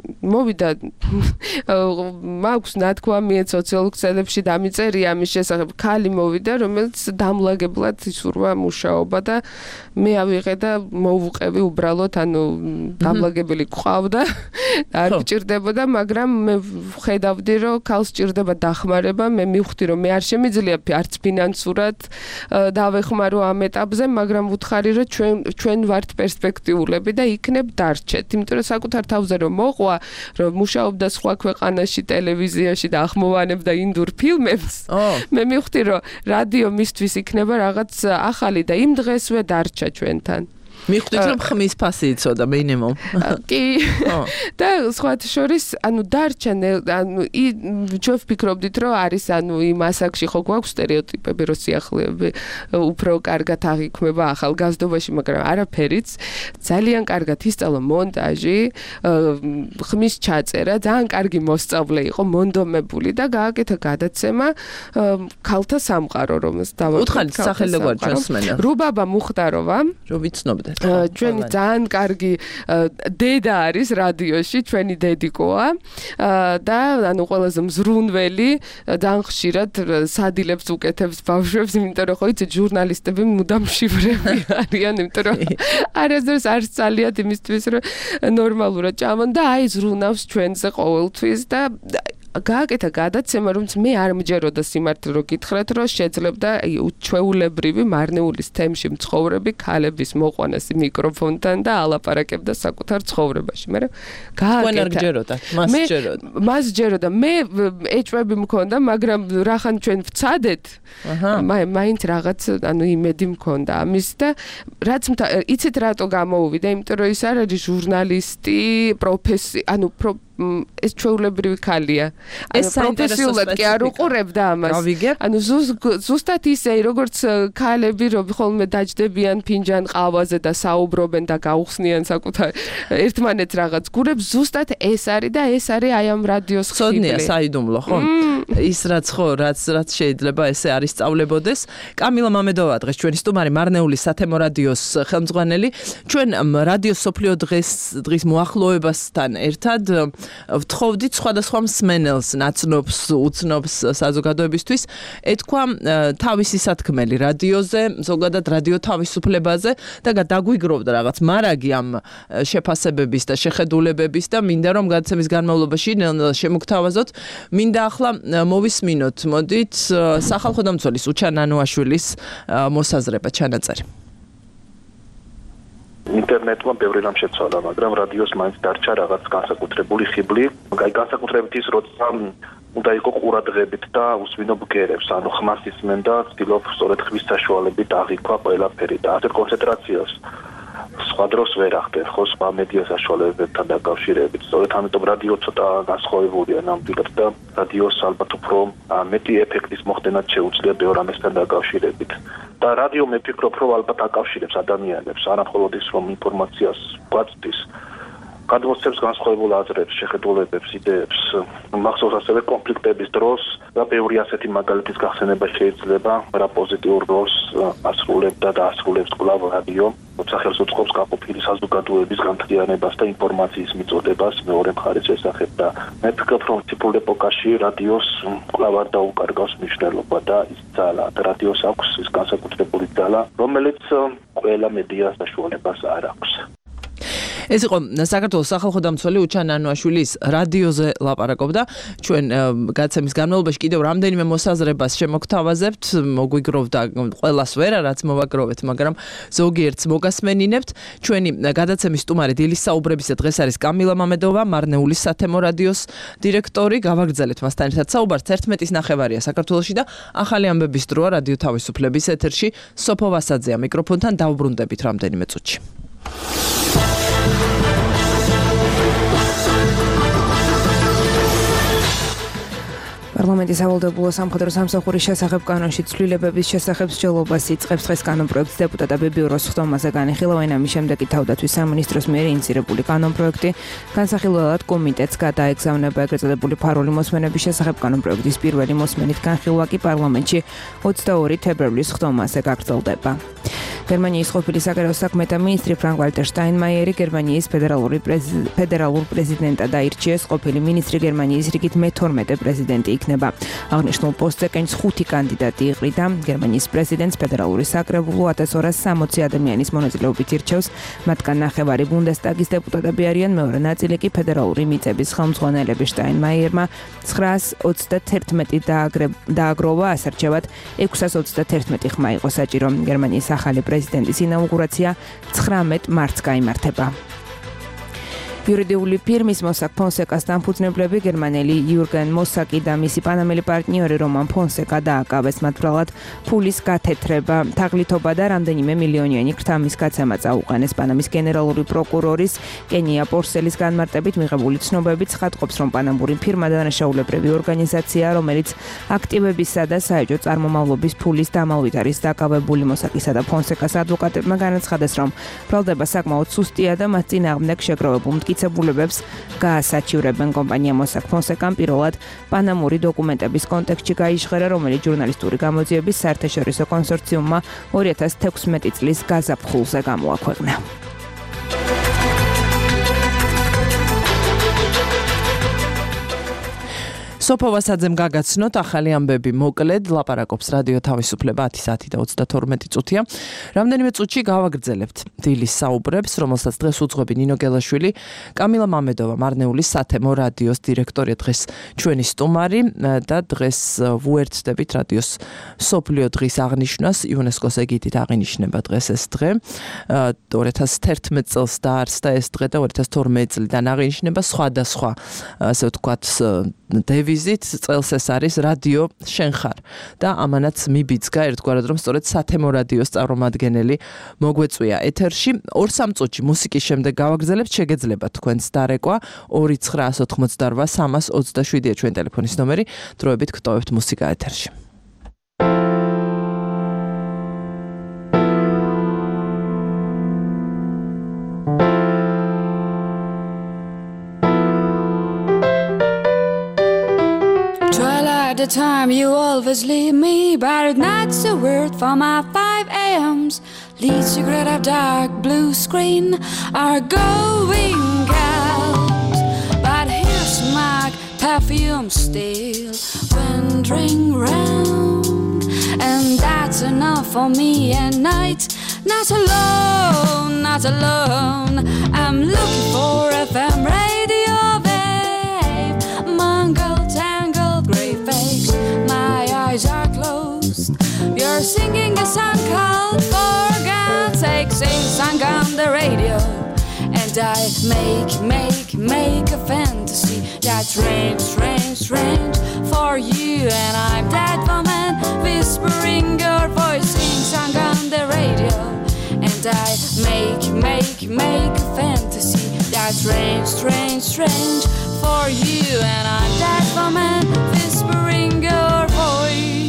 მოვიდა მაქვს ნათქვამი სოციალურ ქსელებში დამიწერია ამის შესახებ ქალი მოვიდა რომელიც დამლაგებლად ისურვა მუშაობა და მე ავიღე და მოვუყევი უბრალოდ ანუ დამლაგებელი ყავდა არ გჭირდებოდა მაგრამ მე ხედავდი რომ ქალს ჭირდება დახმარება მე მივხვდი რომ მე არ შემიძლია არც ფინანსურად დავეხმარო ამ ეტაპზე მაგრამ ვუთხარი რომ ჩვენ ჩვენ ვართ პერსპექტიულები და იქნებ დარჩეთ იმიტომ რომ საკუთარ თავზე რომ მოყვა რომ მუშაობდა სხვა ქვეყანაში ტელევიზიაში და ახმოვანებდა ინდურ ფილმებს მე მივხვდი რომ რადიო მისთვის იქნება რაღაც ახალი და იმ დღესვე დარჩა ჩვენთან მივხვდით რომ ხმის ფასი იცოდა მინიმუმ კი და სხვათა შორის ანუ დარჩა ანუ ჩვენ ვფიქრობდით რომ არის ანუ იმ ასაკში ხო გვაქვს სტერეოტიპები რომ სიახლეები უფრო კარგად აღიქმება ახალგაზრდობაში მაგრამ არაფერიც ძალიან კარგად ისწავლა მონტაჟი ხმის ჩაწერა ძალიან კარგი მოსწავლე იყო მონდომებული და გააკეთა გადაცემა ქალთა სამყარო რომელს დავუთხარით სახელი როგორ ჩვენს მსმენელს რუბაბა მუხტაროვა რომ ვიცნობდეთ ჩვენი ძალიან კარგი დედა არის რადიოში, ჩვენი დედიკოა და ანუ ყველაზე მზრუნველი, ძალიან ხშირად სადილებს უკეთებს ბავშვებს, იმიტომ რომ ხო იცით ჟურნალისტები მუდამ შივრები არიან, იმიტომ რომ არასდროს არ სწალიათ იმისთვის, რომ ნორმალურად ჭამონ და აი ზრუნავს ჩვენზე ყოველთვის და გააკეთა გადაცემა, რომელიც მე არ მჯეროდა სიმართლე რომ გითხრათ, რომ შეძლებდა უჩვეულებრივი მარნეულის თემში მცხოვრები ქალების მოყვანას მიკროფონთან და ალაპარაკებდა საკუთარ ცხოვრებაში. მე გააკეთა. არ გჯეროდა, მას ჯეროდა. მას ჯეროდა. მე ეჭვები მქონდა, მაგრამ რახან ჩვენ ვცადეთ. მაინც რაღაც, ანუ იმედი მქონდა ამის და რაც იცით რატო გამოუვიდა, იმიტომ რომ ის არ არის ჟურნალისტი, პროფესი, ანუ ეს ჩვეულებრივი ქალია. ანუ პროფესიულად კი არ უყურებდა ამას. ანუ ზუსტად ისე, როგორც ქალები, რომ ხოლმე დაჯდებიან ფინჯან ყავაზე და საუბრობენ და გაუხსნიან საკუთარ ერთმანეთს რაღაც გურებს, ზუსტად ეს არის და ეს არის აი ამ რადიოს ხიბლი. ცოდნია საიდუმლო, ხო? ის რაც ხო, რაც რაც შეიძლება ესე არის სწავლებოდეს. კამილა მამედოვა დღეს ჩვენი სტუმარი მარნეულის სათემო რადიოს ხელმძღვანელი. ჩვენ რადიოს სოფლიო დღეს დღის მოახლოებასთან ერთად ვთხოვდით სხვადასხვა მსმენელს, ნაცნობს, უცნობს საზოგადოებისთვის, ეთქვა თავისი სათქმელი რადიოზე, ზოგადად რადიო თავისუფლებაზე და დაგვიგროვდა რაღაც მარაგი ამ შეფასებების და შეხედულებების და მინდა რომ გადაცემის განმავლობაში შემოგთავაზოთ, მინდა ახლა მოვისმინოთ, მოდით, სახალხო დამცველის უჩან ანუაშვილის მოსაზრება ჩანაწერი. ინტერნეტმა ბევრი რამ შეცვალა, მაგრამ რადიოს მაინც დარჩა რაღაც განსაკუთრებული ხიბლი. აი განსაკუთრებით ის, როცა უნდა იყო ყურადღებით და უსვინო ბგერებს, ანუ ხმას ისმენ და ცდილობ სწორედ ხმის საშუალებით აღიქვა ყველაფერი და ასეთ კონცენტრაციას სხვა დროს ვერ ახდენ, ხო, სხვა მედია საშუალებებთან დაკავშირებით. სწორედ ამიტომ რადიო ცოტა განსხვავებულია ნამდვილად და რადიოს ალბათ უფრო მეტი ეფექტის მოხდენად შეუძლია ბევრ ამასთან დაკავშირებით. და რადიო მე ვფიქრობ, რომ ალბათ აკავშირებს ადამიანებს, არა მხოლოდ ის, რომ ინფორმაციას გვაწვდის, გადმოსცემს განსხვავებულ აზრებს, შეხედულებებს, იდეებს. მახსოვს ასევე კონფლიქტების დროს და ბევრი ასეთი მაგალითის გახსენება შეიძლება, რა პოზიტიურ როლს ასრულებდა და ასრულებს კვლავ რადიო, როცა ხელს უწყობს გაყოფილი საზოგადოების განთლიანებას და ინფორმაციის მიწოდებას მეორე მხარის შესახებ და მე ვფიქრობ, რომ ციფრულ ეპოქაში რადიოს კვლავ არ დაუკარგავს მნიშვნელობა და ის ძალა, რადიოს აქვს ის განსაკუთრებული ძალა, რომელიც ყველა მედიას საშუალებას არ აქვს. ეს იყო საქართველოს სახალხო დამცველი უჩან ანუაშვილის რადიოზე ლაპარაკობდა. ჩვენ გაცემის განმავლობაში კიდევ რამდენიმე მოსაზრებას შემოგთავაზებთ, მოგვიგროვდა ყველას ვერა, რაც მოვაგროვეთ, მაგრამ ზოგიერთს მოგასმენინებთ. ჩვენი გადაცემის სტუმარი დილის საუბრებისა დღეს არის კამილა მამედოვა, მარნეულის სათემო რადიოს დირექტორი. გავაგრძელეთ მასთან ერთად საუბარს. ერთმეტის ნახევარია საქართველოში და ახალი ამბების დროა რადიო თავისუფლების ეთერში. სოფო ვასაძეა მიკროფონთან, დავბრუნდებით რამდენიმე წუთში. პარლამენტის სავალდებულო სამხედრო სამსახურის შესახებ კანონში ცვლილებების შესახებ მსჯელობას იწყებს დღეს კანონპროექტს დეპუტატები ბიუროს ხდომაზე განიხილავენ. ამის შემდეგ თავდაცვის სამინისტროს მიერ ინიცირებული კანონპროექტი განსახილველად კომიტეტს გადაეგზავნება. ეგრეთ წოდებული ფარული მოსმენების შესახებ კანონპროექტის პირველი მოსმენით განხილვა კი პარლამენტში ოცდაორი თებერვლის ხდომაზე გაგრძელდება. გერმანიის ყოფილი საგარეო საქმეთა მინისტრი ფრანკ-ვალტერ შტაინმაიერი გერმანიის ფედერალური ფედერალურ პრეზიდენტად აირჩიეს. ყოფილი მინისტრი გერმანიის რიგით მეთორმეტე პრეზიდენტი იქნება. აღნიშნულ პოსტზე კენჭს ხუთი კანდიდატი იყრიდა. გერმანიის პრეზიდენტს ფედერალური საკრებულო ათას ორას სამოცი ადამიანის მონაწილეობით ირჩევს. მათგან ნახევარი ბუნდესტაგის დეპუტატები არიან, მეორე ნაწილი კი ფედერალური მიწების ხელმძღვანელები. შტაინმაიერმა ცხრაას ოცდათერთმეტი დააგროვა, ასარჩევად ექვსას ოცდათერთმეტი ხმა იყო საჭირო. გერმანიის ახალი პრეზიდენტის ინაუგურაცია ცხრამეტ მარტს გაიმართება. იურიდიული ფირმის მოსაკ ფონსეკას დამფუძნებლები გერმანელი იურგენ მოსაკი და მისი პანამელი პარტნიორი რომან ფონსეკა დააკავეს. მათ ბრალად ფულის გათეთრება, თაღლითობა და რამდენიმე მილიონიანი ქრთამის გაცემა წაუყენეს. პანამის გენერალური პროკურორის კენია პორსელის განმარტებით მიღებული ცნობებით ცხადყოფს, რომ პანამური ფირმა დანაშაულებრივი ორგანიზაცია, რომელიც აქტივებისა და საეჭვო წარმომავლობის ფულის დამალვით არის დაკავებული. მოსაკისა და ფონსეკას ადვოკატებმა განაცხადეს, რომ ბრალდება საკმაოდ სუსტია და მათ წინააღმდეგ შეგროვებულ მტკიცებულებებს გაასაჩივრებენ. კომპანია მოსაკ ფონსეკამ პირველად პანამური დოკუმენტების კონტექსტში გაიჟღერა, რომელიც ჟურნალისტური გამოძიების საერთაშორისო კონსორციუმმა ორი ათას თექვსმეტი წლის გაზაფხულზე გამოაქვეყნა. სოფო ვასაძემ გაგაცნოთ ახალი ამბები მოკლედ ლაპარაკობს რადიო თავისუფლება ათი საათი და ოცდათორმეტი წუთია. რამდენიმე წუთში გავაგრძელებთ დილის საუბრებს, რომელსაც დღეს უძღვები ნინო გელაშვილი, კამილა მამედოვა, მარნეულის სათემო რადიოს დირექტორია დღეს ჩვენი სტუმარი და დღეს ვუერთდებით რადიოს მსოფლიო დღის აღნიშვნას. იუნესკოს ეგიდით აღინიშნება დღეს ეს დღე. ორი ათას თერთმეტ წელს დაარსდა ეს დღე და ორი ათას თორმეტ წლიდან აღინიშნება სხვადასხვა ასე ვთქვათ დევიზით წელს ეს არის რადიო შენ ხარ და ამანაც მიბიძგა ერთგვარად რომ სწორედ სათემო რადიოს წარმომადგენელი მოგვეწვია ეთერში. ორ სამ წუთში მუსიკის შემდეგ გავაგრძელებთ, შეგეძლებათ თქვენს დარეკვა ორი ცხრაას ოთხმოცდარვა სამას ოცდაშვიდია ჩვენ ტელეფონის ნომერი. დროებით გტოვებთ მუსიკა ეთერში. The time you always leave me, but not a word from my five a.m.s. Lead cigarette of dark blue screen are going out, but here's my perfume still wandering round, and that's enough for me at night. Not alone, not alone. I'm looking for F M radio, babe. Mongol tangled grey face. My eyes are closed. You're singing a song called For God's Sake. Sing song on the radio, and I make, make, make a fantasy that's strange, strange, strange for you. And I'm that woman whispering your voice. Sing song on the radio, and I make, make, make a fantasy that's strange, strange, strange for you. And I'm that woman whispering your voice.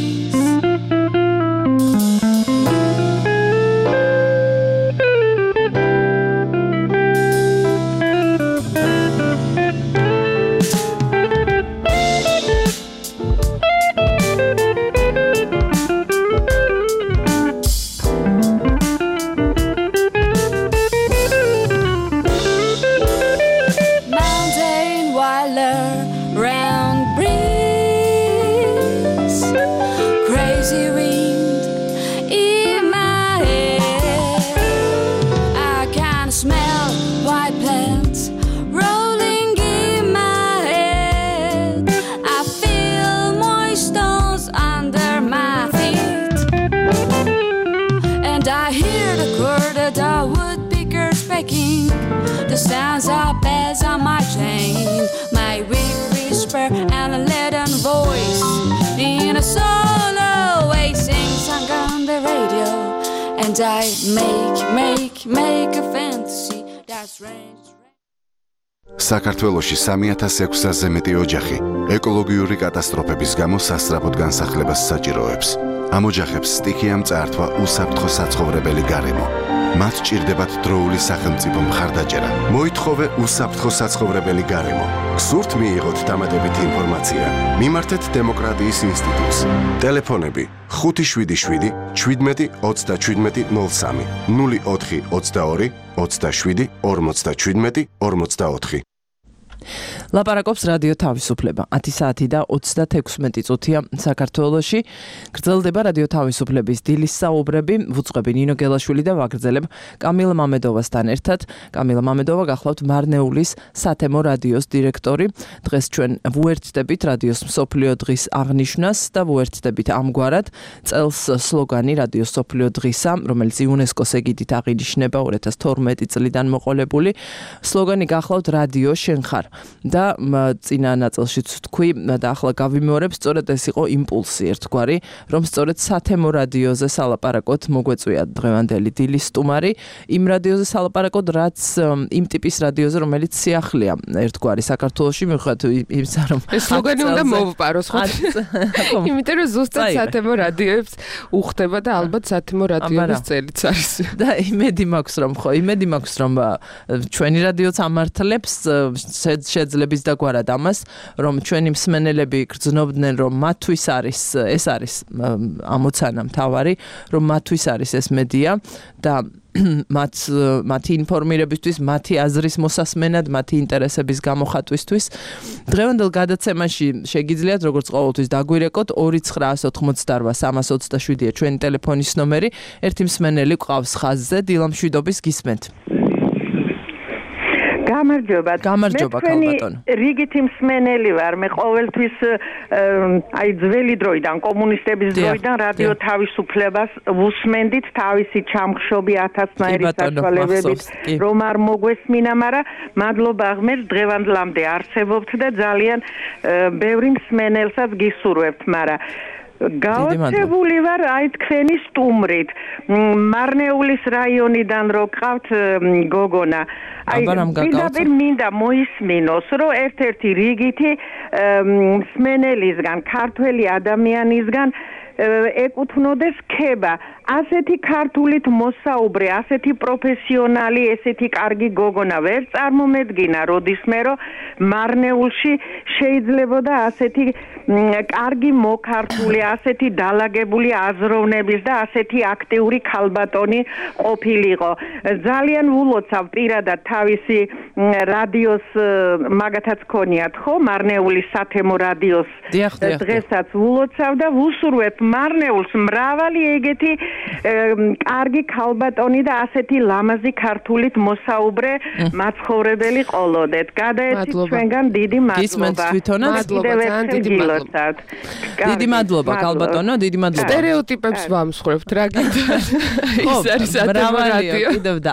stands up as on my chain. My weak whisper and a leaden voice in a solo way sings on the radio, and I make, make, make a fantasy that's range. საქართველოში სამი ათას ექვსასზე მეტი ოჯახი ეკოლოგიური კატასტროფების გამო სასწრაფოდ განსახლებას საჭიროებს. ამ ოჯახებს სტიქიამ წაართვა უსაფრთხო საცხოვრებელი გარემო. მათ სჭირდებათ დროული სახელმწიფო მხარდაჭერა. მოითხოვე უსაფრთხო საცხოვრებელი გარემო. გსურთ მიიღოთ დამატებითი ინფორმაცია? მიმართეთ დემოკრატიის ინსტიტუტს. ტელეფონები ხუთი შვიდი შვიდი შვიდმეტი ოცდაშვიდმეტი ნულ სამი ნული ოთხი ოცდაორი ოცდაშვიდი ორმოცდაშვიდმეტი ორმოცდაოთხი. ლაპარაკობს რადიო თავისუფლება. ათი საათი და ოცდათექვსმეტი წუთია საქართველოში. გრძელდება რადიო თავისუფლების დილის საუბრები. ვუწყები ნინო გელაშვილი და ვაგრძელებ კამილა მამედოვასთან ერთად. კამილა მამედოვა გახლავთ მარნეულის სათემო რადიოს დირექტორი. დღეს ჩვენ ვუერთდებით რადიოს მსოფლიო დღის აღნიშვნას და ვუერთდებით ამგვარად წელს სლოგანი რადიოს მსოფლიო დღისა, რომელიც იუნესკოს ეგიდით აღინიშნება ორი ათას თორმეტი წლიდან მოყოლებული. სლოგანი გახლავთ რადიო შენ ხარ. და წინა ნაწილშიც თქვი და ახლა გავიმეორებ, სწორედ ეს იყო იმპულსი ერთგვარი, რომ სწორედ სათემო რადიოზე სალაპარაკოთ მოგვეწვია დღევანდელი დილის სტუმარი, იმ რადიოზე სალაპარაკოთ, რაც იმ ტიპის რადიოზე, რომელიც სიახლეა ერთგვარი საქართველოში, მიუხედავად იმისა, რომ ეს სლოგანი უნდა მოვპაროს, ხო? იმიტომ რომ ზუსტად სათემო რადიოებს უხდება და ალბათ სათემო რადიოების წელიც არის. და იმედი მაქვს, რომ ხო, იმედი მაქვს, რომ ჩვენი რადიოც ამართლებს შეძლებს დაგვარად ამას, რომ ჩვენი მსმენელები გრძნობდნენ, რომ მათთვის არის ეს არის ამოცანა მთავარი, რომ მათთვის არის ეს მედია და მათ მათი ინფორმირებისთვის, მათი აზრის მოსასმენად, მათი ინტერესების გამოხატვისთვის. დღევანდელ გადაცემაში შეგიძლიათ როგორც ყოველთვის დაგვირეკოთ ორი ცხრა ოთხმოცდარბა სამას ოცდაშვიდია ჩვენი ტელეფონის ნომერი. ერთი მსმენელი გვყავს ხაზზე, დილა მშვიდობის გისმენთ. გამარჯობა. გამარჯობა ქალბატონო. რიგითი მსმენელი ვარ. მე ყოველთვის აი ძველი დროიდან, კომუნისტების დროიდან რადიო თავისუფლებას ვუსმენდით თავისი ჩამხშობი ათასნაირი საშუალებებით, რომ არ მოგვესმინა, მაგრამ მადლობა ღმერთს დღევანდლამდე არსებობთ და ძალიან ბევრი მსმენელსაც გისურვებთ, მაგრამ გაოცებული ვარ აი თქვენი სტუმრით. მარნეულის რაიონიდან რო ყავთ გოგონა. აი პირდაპირ მინდა მოისმინოს, რომ ერთ-ერთი რიგითი მსმენელისგან, ქართველი ადამიანისგან ეკუთვნოდეს ქება. ასეთი ქართულით მოსაუბრე, ასეთი პროფესიონალი, ესეთი კარგი გოგონა ვერ წარმომედგინა, როდისმე რომ მარნეულში შეიძლებოდა ასეთი კარგი მოქართული, ასეთი დალაგებული აზროვნების და ასეთი აქტიური ქალბატონი ყოფილიყო. ძალიან ვულოცავ პირადად თავისი რადიოს მაგათაც ქონიათ, ხო? მარნეულის სათემო რადიოს დღესაც ვულოცავ და ვუსურვებ მარნეულს მრავალი ეგეთი კარგი ქალბატონი და ასეთი ლამაზი ქართულით მოსაუბრე მაცხოვრებელი ყოლოდეთ. გადაეცით ჩვენგან დიდი მადლობა. მადლობა, ძალიან დიდი მადლობა. დიდი მადლობა ქალბატონო, დიდი მადლობა. სტერეოტიპებს ვამსხვრევთ რა გინდა. ის არის სათემო რადიო. კიდევ და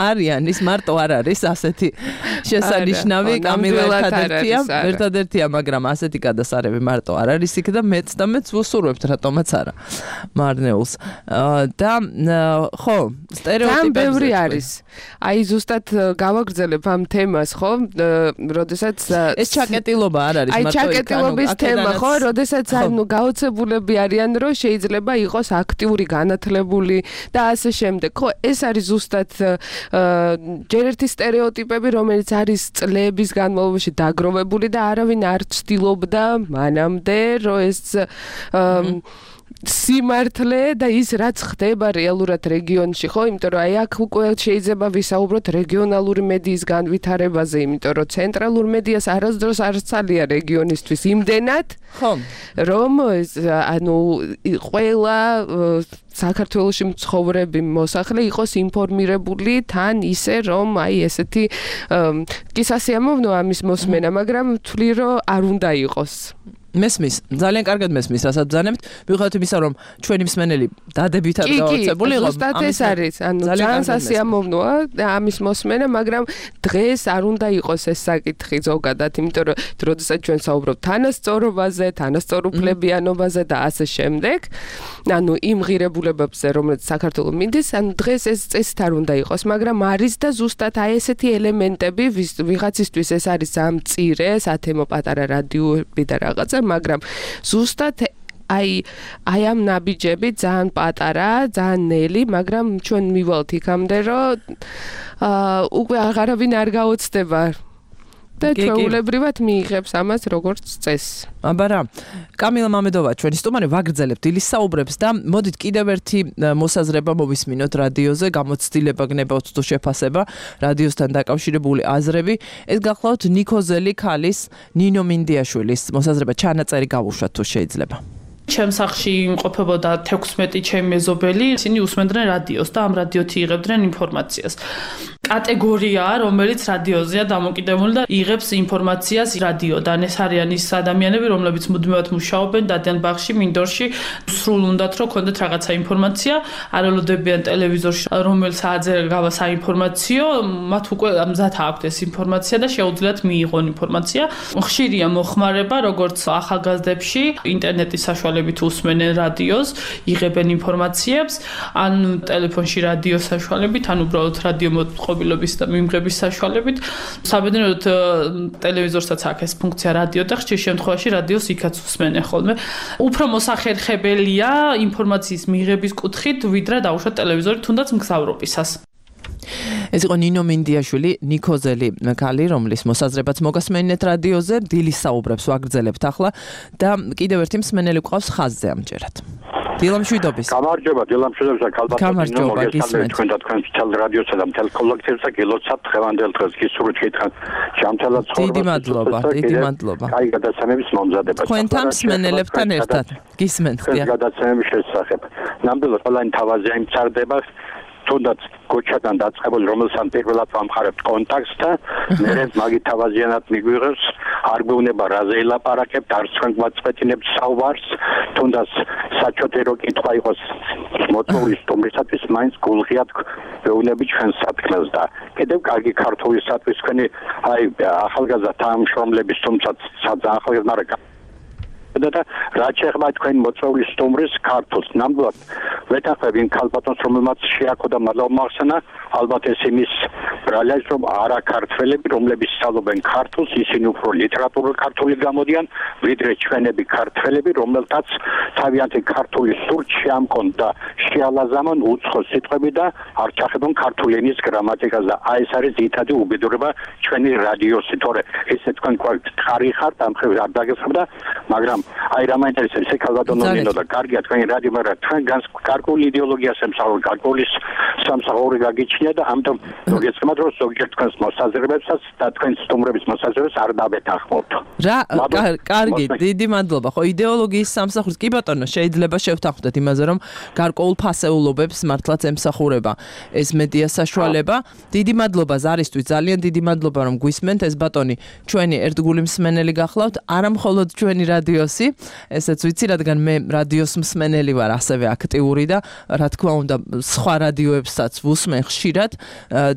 არიან, ის მარტო არ არის ასეთი შესანიშნავი კამილა ერთადერთია, ერთადერთია, მაგრამ ასეთი გადასარევი მარტო არ არის იქ და მეც და მეც ვუსურვებთ რატომაც არა. მარნეულს და ხო, სტერეოტიპები ბევრი არის. აი ზუსტად გავაგრძელებ ამ თემას, ხო? როდესაც ეს ჩაკეტილობა არ არის, მარტო აი ჩაკეტილობის თემა, ხო? როდესაც ანუ გაოცებულები არიან, რომ შეიძლება იყოს აქტიური, განათლებული და ასე შემდეგ. ხო, ეს არის ზუსტად ჯერ ერთი სტერეოტიპები, რომელიც არის წლების განმავლობაში დაგროვებული და არავინ არ ცდილობდა მანამდე, რომ ეს სიმართლე და ის რაც ხდება რეალურად რეგიონში, ხო? იმიტომ რომ აი აქ უკვე შეიძლება ვისაუბროთ რეგიონალური მედიის განვითარებაზე, იმიტომ რომ ცენტრალურ მედიას არასდროს არ ცალია რეგიონისთვის იმდენად, ხო, რომ ანუ ყველა საქართველოში მცხოვრები მოსახლე იყოს ინფორმირებული თან ისე, რომ აი ესეთი კი სასიამოვნოა ამის მოსმენა, მაგრამ ვთვლი რომ არ უნდა იყოს. მესმის, ძალიან კარგად მესმის, რასაც ბრძანებთ. მიუხედავად იმისა, რომ ჩვენი მსმენელი დადებითად გავაცებული იყო. ზუსტად ეს არის. ანუ ძალიან სასიამოვნოა ამის მოსმენა, მაგრამ დღეს არ უნდა იყოს ეს საკითხი ზოგადად, იმიტომ რომ როდესაც ჩვენ საუბრობთ თანასწორობაზე, თანასწორუფლებიანობაზე და ასე შემდეგ, ანუ იმ ღირებულებებზე, რომელიც საქართველოს მინდის, ანუ დღეს ეს წესით არ უნდა იყოს, მაგრამ არის და ზუსტად აი ესეთი ელემენტები ვიღაცისთვის ეს არის ძალიან მწირე, სათემო პატარა რადიოები და რაღაცა, მაგრამ ზუსტად აი აი ამ ნაბიჯები ძალიან პატარა, ძალიან ნელი, მაგრამ ჩვენ მივალთ იქამდე, რომ აა უკვე აღარავინ არ გაოცდება და ჩვეულებრივად მიიღებს ამას როგორც წესს. აბარა, კამილა მამედოვა, ჩვენი სტუმარი, ვაგრძელებთ დილის საუბრებს და მოდით კიდევ ერთი მოსაზრება მოვისმინოთ რადიოზე, გამოცდილება გნებავთ თუ შეფასება, რადიოსთან დაკავშირებული აზრები. ეს გახლავთ ნიკოზელი ქალის, ნინო მინდიაშვილის მოსაზრება, ჩანაწერი გავუშვათ თუ შეიძლება. ჩემ სახლში იმყოფებოდა თექვსმეტი ჩემი მეზობელი, ისინი უსმენდნენ რადიოს და ამ რადიოთი იღებდნენ ინფორმაციას. კატეგორიაა, რომელიც რადიოზეა დამოკიდებული და იღებს ინფორმაციას რადიოდან. ეს არიან ის ადამიანები, რომლებიც მუდმივად მუშაობენ დადიან ბაღში, მინდორში, სრულ უნდათ რომ ქონდეთ რაღაცა ინფორმაცია, არ ელოდებიან ტელევიზორში, რომელ საათზე გავა საინფორმაციო, მათ უკვე მზად აქვთ ეს ინფორმაცია და შეუძლიათ მიიღონ ინფორმაცია. ხშირია მოხმარება, როგორც ახალგაზრდებში, ინტერნეტის საშუალებით უსმენენ რადიოს, იღებენ ინფორმაციებს, ან ტელეფონში რადიოს საშუალებით, ან უბრალოდ რადიო მოწყობილობის და მიმღების საშუალებით. საბედნიეროდ ტელევიზორსაც აქვს ეს ფუნქცია რადიო და ხშირ შემთხვევაში რადიოს იქაც უსმენენ ხოლმე. უფრო მოსახერხებელია ინფორმაციის მიღების კუთხით, ვიდრე დაუშვათ ტელევიზორი, თუნდაც მგზავრობისას. ეს იყო ნინო მინდიაშვილი, ნიკოზელი ქალი, რომლის მოსაზრებაც მოგასმენინეთ რადიოზე, დილის საუბრებს ვაგრძელებთ ახლა და კიდევ ერთი მსმენელი გვყავს ხაზზე ამჯერად. დილამშვიდობის. გამარჯობა, დილამშვიდობის და ქალბატონო მოგესალმებით თქვენ და თქვენ თელ რადიოსა და თელ კოლექტივს და გილოცავთ ხევანდელ დღეს გისურვით გითხრათ ჯამთელად ცხოვრება. დიდი მადლობა, დიდი მადლობა. კაი გადაცემების მომზადება. თქვენთან მსმენელებთან ერთად გისმენთ. გადაცემების შესახებ. ნამდვილად ყველანი თავაზე იმწარდება. თუნდაც გოჩადან დაწყებული, რომელსაც პირველად ვამხარებთ კონტაქტს და მე მაგით თავაზიანად მიგვიღებს, არ გვეუბნება რაზე ელაპარაკებთ, არც თქვენ გვაწყვეტინებთ საუბარს, თუნდაც საჩოთერო კითხვა იყოს მოწვეული სტუმრისათვის, მაინც გულღიად ვეუბნები ჩვენ სათქმელს და კიდევ კარგი ქართულისათვის თქვენი აი ახალგაზრდა თანამშრომლების, თუმცა საძა ახალგაზრდა მაგრამ და რაც შეეხება თქვენ მოწვეული სტუმრის ქართულს, ნამდვილად ვეთანხმებ იმ ქალბატონს, რომელმაც შეაქო და მადლობა მოახსენა, ალბათ ეს იმის ბრალია, რომ არა ქართველები, რომლებიც სწავლობენ ქართულს, ისინი უფრო ლიტერატურული ქართული გამოდიან, ვიდრე ჩვენები ქართველები, რომელთაც თავიანთი ქართული სურთ შეამკონ და შეალაზამონ უცხო სიტყვები და არ ჩახებონ ქართული ენის გრამატიკას და აი ეს არის ძირითადი უბედურება ჩვენი რადიოსი, თორე ესე თქვენ ხარი ხართ, ამ ხრივ არ დაგესხმდა, მაგრამ აი რა მაინტერესებს ეს ქალბატონო ნინო და კარგია თქვენი რადიო, მაგრამ თქვენ გარკვეული იდეოლოგიას ემსახურებთ, გარკვეული სამსახური გაგიჩნია და ამიტომ მოგეცემათ რომ ზოგიერთ თქვენს მოსაზრებებსაც და თქვენ სტუმრების მოსაზრებებს არ დავეთანხმობთ. რა კარგი, დიდი მადლობა. ხო იდეოლოგიის სამსახურს კი ბატონო შეიძლება შევთანხმდეთ იმაზე რომ გარკვეულ ფასეულობებს მართლაც ემსახურება ეს მედია საშუალება. დიდი მადლობა ზარისთვის, ძალიან დიდი მადლობა რომ გვისმენთ. ეს ბატონი ჩვენი ერთგული მსმენელი გახლავთ, არა მხოლოდ ჩვენი რადიოსი, ესეც ვიცი, რადგან მე რადიოს მსმენელი ვარ, ასევე აქტიური და რა თქმა უნდა სხვა რადიოებსაც ვუსმენ ხშირად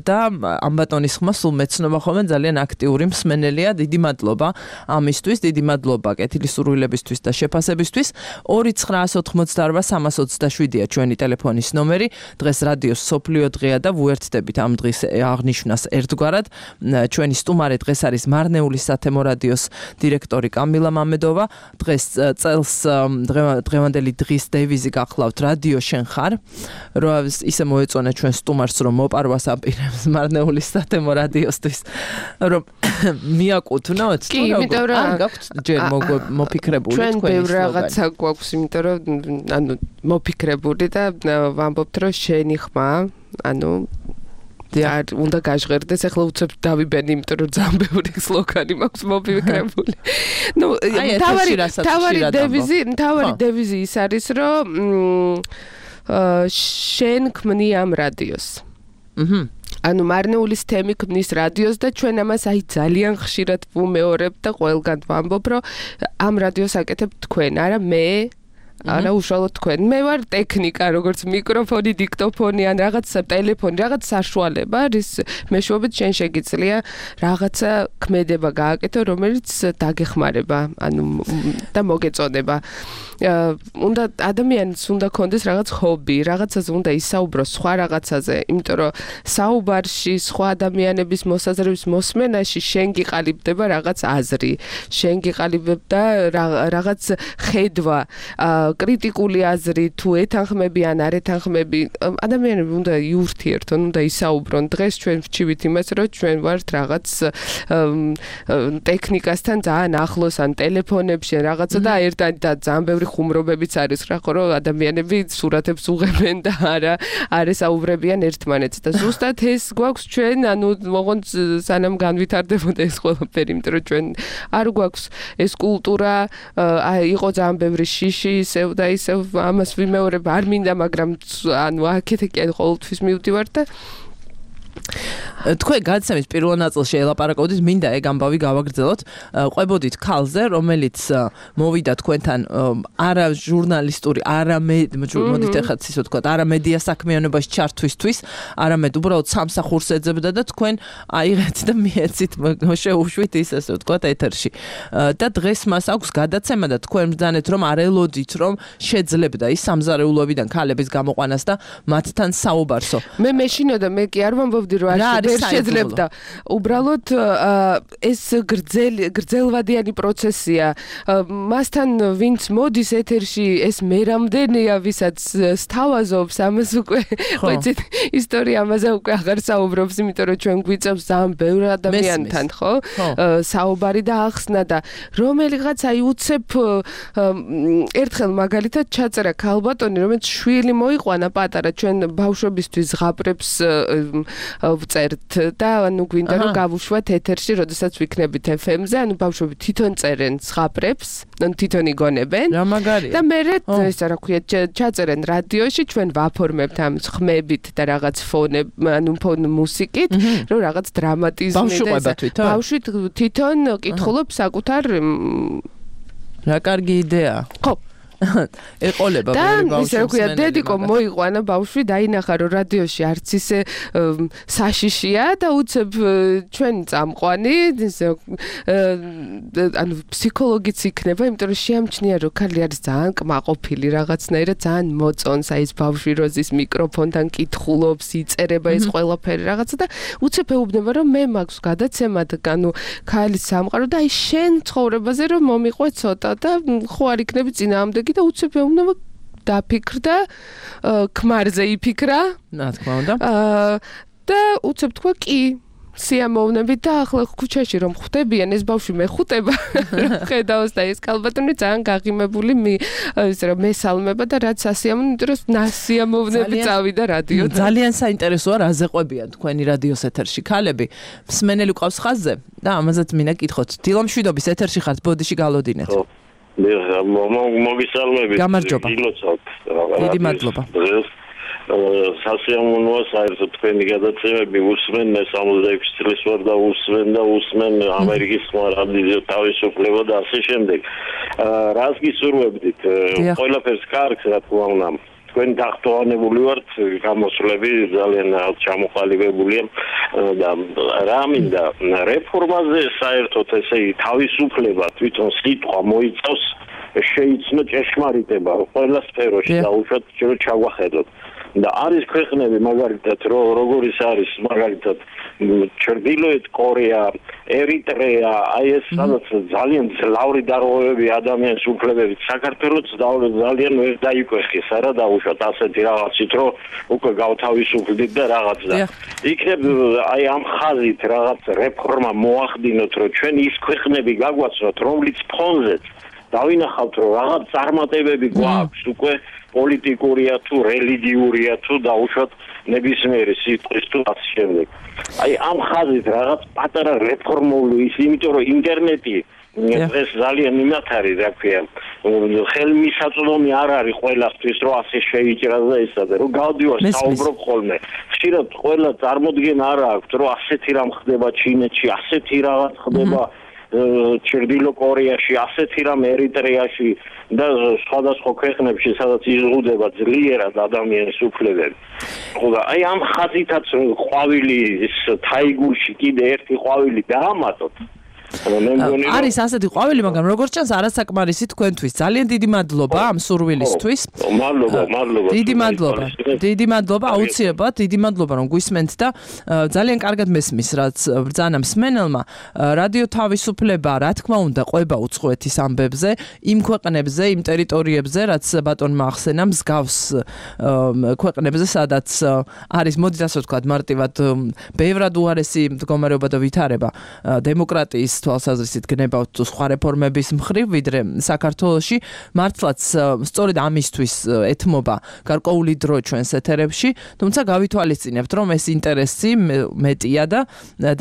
და ამ ბატონის ხმა სულ მეცნობა ხოლმე ძალიან აქტიური მსმენელია. დიდი მადლობა ამისთვის, დიდი მადლობა კეთილისურვილებისთვის და შეფასებისთვის. ორი ცხრაას ოთხმოცდაორვა სამას ოცდაშვიდია ჩვენი ტელეფონის ნომერი. დღეს რადიოს სოფლიო დღეა და ვუერთდებით ამ დღის აღნიშვნას ერთგვარად. ჩვენი სტუმარი დღეს არის მარნეული სათემო რადიოს დირექტორი კამილა მამედოვა. დღეს წელს დღევანდელი დღის დევიზი გახლავთ რადიო შენ ხარ. რომ ისე მოეწონა ჩვენ სტუმარს რომ მოპარვას აპირებს მარნეული სათემო რადიოსთვის რომ მიაკუთვნოთ. კი, იმიტომ რომ გაქვთ ჯერ მოფიქრებული თქვენი ჩვენ ბევრ რაღაცა გვაქვს, იმიტომ რომ ანუ მოფიქრებული და ვამბობთ რომ შენი ხმა, ანუ და უნდა გაჟღერდეს, ახლა უცებ დავიბენ, იმიტომ რომ ძალიან ბევრი სლოგანი მაქვს მოფიქრებული. ნუ თავარი თავარი დევიზი, თავარი დევიზი ის არის, რომ შენ ქმნი ამ რადიოს. აჰა. ანუ მარნეულის თემი ქმნის რადიოს და ჩვენ ამას აი ძალიან ხშირად ვუმეორებ და ყველგან ვამბობ, რომ ამ რადიოს აკეთებ თქვენ, არა მე არა უშუალოდ თქვენ. მე ვარ ტექნიკა, როგორც მიკროფონი, დიქტოფონი ან რაღაც ტელეფონი, რაღაც საშუალება, რის მეშვეობით შენ შეგიძლია რაღაცა ქმედება გააკეთო, რომელიც დაგეხმარება, ანუ და მოგეწოდება. უნდა ადამიანს უნდა კონდეს რაღაც ჰობი, რაღაცაზე უნდა ისაუბროს სხვა რაღაცაზე, იმიტომ რომ საუბარში სხვა ადამიანების მოსაზრების მოსმენაში შენ გიყალიბდება რაღაც აზრი, შენ გიყალიბდება რაღაც ხედვა, კრიტიკული აზრი, თუ ეთანხმები ან არ ეთანხმები, ადამიანები უნდა იურთიერთონ, უნდა ისაუბრონ. დღეს ჩვენ ვჩივით იმას, რომ ჩვენ ვართ რაღაც ტექნიკასთან ძალიან ახლოს ან ტელეფონებში რაღაცა და ერთად და ძალიან ბევრი ხუმრობებიც არის რა, ხო რომ ადამიანები სურათებს უღებენ და არა არ ესაუბრებიან ერთმანეთს და ზუსტად ეს გვაქვს ჩვენ, ანუ მოღონდ სანამ განვითარდებოდა ეს ყველაფერი, იმიტომ რომ ჩვენ არ გვაქვს ეს კულტურა, იყო ძალიან ბევრი შიში, ისევ და ისევ ამას ვიმეორებ, არ მინდა, მაგრამ ანუ აქეთ-იქ ყოველთვის მივდივარ და თქვენ გადაცემის პირველ ნაწილში ელაპარაკობდით, მინდა ეგ ამბავი გავაგრძელოთ. ყვებოდით ქალზე, რომელიც მოვიდა თქვენთან არა ჟურნალისტური, არა მოდით ეხლა ისე ვთქვათ, არა მედია საქმიანობაში ჩართვისთვის, არამედ უბრალოდ სამსახურს ეძებდა და თქვენ აიღეთ და მიეცით შეუშვით ის ასე ვთქვათ ეთერში. და დღეს მას აქვს გადაცემა და თქვენ ბრძანეთ, რომ არ ელოდით, რომ შეძლებდა ის სამზარეულოებიდან ქალების გამოყვანას და მათთან საუბარსო. მე მეშინოდა, მე კი არ ვამბობდი რომ არ შეძლებდა. უბრალოდ ეს გრძელი გრძელვადიანი პროცესია. მასთან ვინც მოდის ეთერში, ეს მე რამდენია, ვისაც სთავაზობს, ამას უკვე ვიცით, ისტორია ამაზე უკვე აღარ საუბრობს, იმიტომ რომ ჩვენ გვიწევს ძალიან ბევრ ადამიანთან, ხო? საუბარი და ახსნა და რომელიღაც აი უცებ ერთხელ მაგალითად ჩაწერა ქალბატონი, რომელიც შვილი მოიყვანა პატარა, ჩვენ ბავშვებისთვის ზღაპრებს ვწერთ და ანუ გვინდა რომ გავუშვათ ეთერში, როდესაც ვიქნებით ეფ ემ-ზე, ანუ ბავშვები თვითონ წერენ ზღაპრებს, ანუ თვითონ იგონებენ. რა მაგარია. და მერე ესა რა ქვია, ჩაწერენ რადიოში, ჩვენ ვაფორმებთ ამ ხმებით და რაღაც ფონებ, ანუ ფონ მუსიკით, რომ რაღაც დრამატიზმი და ესა. ბავშვი თვითონ კითხულობს საკუთარ რა კარგი იდეა. ხო. ეყოლება ბევრი ბავშვი. და ისე ქვია, დედიკო მოიყვანა ბავშვი, დაინახა რომ რადიოში არც ისე საშიშია და უცებ ჩვენ წამყვანი, ანუ ფსიქოლოგიც იქნება, იმიტომ რომ შეამჩნია რომ ქალი არის ძალიან კმაყოფილი რაღაცნაირად, ძალიან მოწონს აი ეს ბავშვი როზის მიკროფონთან კითხულობს, იწერება ეს ყველაფერი რაღაცა და უცებ ეუბნება რომ მე მაქვს გადაცემა და ანუ ქალის სამყარო და აი შენ ცხოვრებაზე რომ მომიყვე ცოტა და ხო არ იქნები წინააღმდეგი და უცებ ეუბნება დაფიქრდა, ქმარზე იფიქრა. რა თქმა უნდა. და უცებ თქვა კი, სიამოვნებით და ახლა ქუჩაში რომ ხვდებიან ეს ბავშვი მეხუტება, ხედავს და ეს ქალბატონი ძალიან გაღიმებული ისე რომ მესალმება და რაც ასიამოვნებით, რომ ნასიამოვნები წავიდა რადიო. ძალიან საინტერესოა რაზე ყვებიან თქვენი რადიოს ეთერში ქალები. მსმენელი ყავს ხაზზე და ამაზეც მინდა კითხოთ. დილამშვიდობის ეთერში ხართ, ბოდიში გალოდინეთ. მოგისალმებით. გამარჯობა. დიდი მადლობა. სასიამოვნოა საერთოდ თქვენი გადაცემები უსმენ, მე სამოცდაექვსი წლის ვარ და უსმენ და უსმენ ამერიკის რადიო თავისუფლება და ასე შემდეგ. რას გისურვებდით? ყველაფერს კარგს, რა თქმა უნდა. თქვენ დახტოვანებული ვართ, გამოსვლები ძალიან ჩამოყალიბებულია და რა მინდა რეფორმაზე საერთოდ ესე თავისუფლება თვითონ სიტყვა მოიცავს შეიცნო ჭეშმარიტება ყველა სფეროში და უშუალოდ ჩვენ ჩაგვახედოთ. და არის ქვეყნები მაგალითად როგორიც არის მაგალითად ჩრდილოეთ კორეა, ერიტრეა, აი ეს სადაც ძალიან ძლავრი დარღვევები ადამიანის უფლებებით, საქართველოს ძალიან ვერ დაიკვეხეს არა დაუშვათ ასეთი რაღაცით რომ უკვე გავთავისუფლდით და რაღაც და იქნებ აი ამ ხაზით რაღაც რეფორმა მოახდინოთ რომ ჩვენ ის ქვეყნები გაგვაცნოთ რომლის ფონზეც დავინახავთ რომ რაღაც წარმატებები გვაქვს უკვე პოლიტიკურია თუ რელიგიურია თუ დაუშვათ ნებისმიერი სიტყვის თუ ასე შემდეგ. აი ამ ხაზით რაღაც პატარა რეფორმული ის, იმიტომ რომ ინტერნეტი დღეს ძალიან იმათ არის, რა ქვია, ხელმისაწვდომი არ არის ყველასთვის რომ ასე შეიჭრა და ესა და რომ გავდივარ საუბრობ ხოლმე ხშირად ყველა წარმოდგენა არ აქვს რომ ასეთი რამ ხდება ჩინეთში ასეთი რაღაც ხდება ჩრდილო კორეაში ასეთი რამ ერიტრეაში და სხვადასხვა ქვეყნებში სადაც იზღუდებაძლიერად ადამიანის უფლებები ხო და აი ამ ხაზითაც ყვავილი თაიგურში კიდე ერთი ყვავილი დაამატოთ არის ასეთი ყვავილი, მაგრამ როგორც ჩანს არასაკმარისი თქვენთვის. ძალიან დიდი მადლობა ამ სურვილისთვის. მადლობა, მადლობა. დიდი მადლობა. დიდი მადლობა, აუცილებლად, დიდი მადლობა რომ გვისმენთ და ძალიან კარგად მესმის, რაც ბრძანა მსმენელმა. რადიო თავისუფლება, რა თქმა უნდა, ყვება უცხოეთის ამბებზე, იმ ქვეყნებზე, იმ ტერიტორიებზე, რაც ბატონმა ახსენა, მსგავს ქვეყნებზე, სადაც არის, მოდით ასე ვთქვათ, მარტივად ბევრად უარესი მდგომარეობა და ვითარება დემოკრატიის თვალსაზრისით გნებავთ სხვა რეფორმების მხრივ, ვიდრე საქართველოში მართლაც სწორედ ამისთვის ეთმობა გარკვეული დრო ჩვენს ეთერებში, თუმცა გავითვალისწინებთ, რომ ეს ინტერესი მეტია და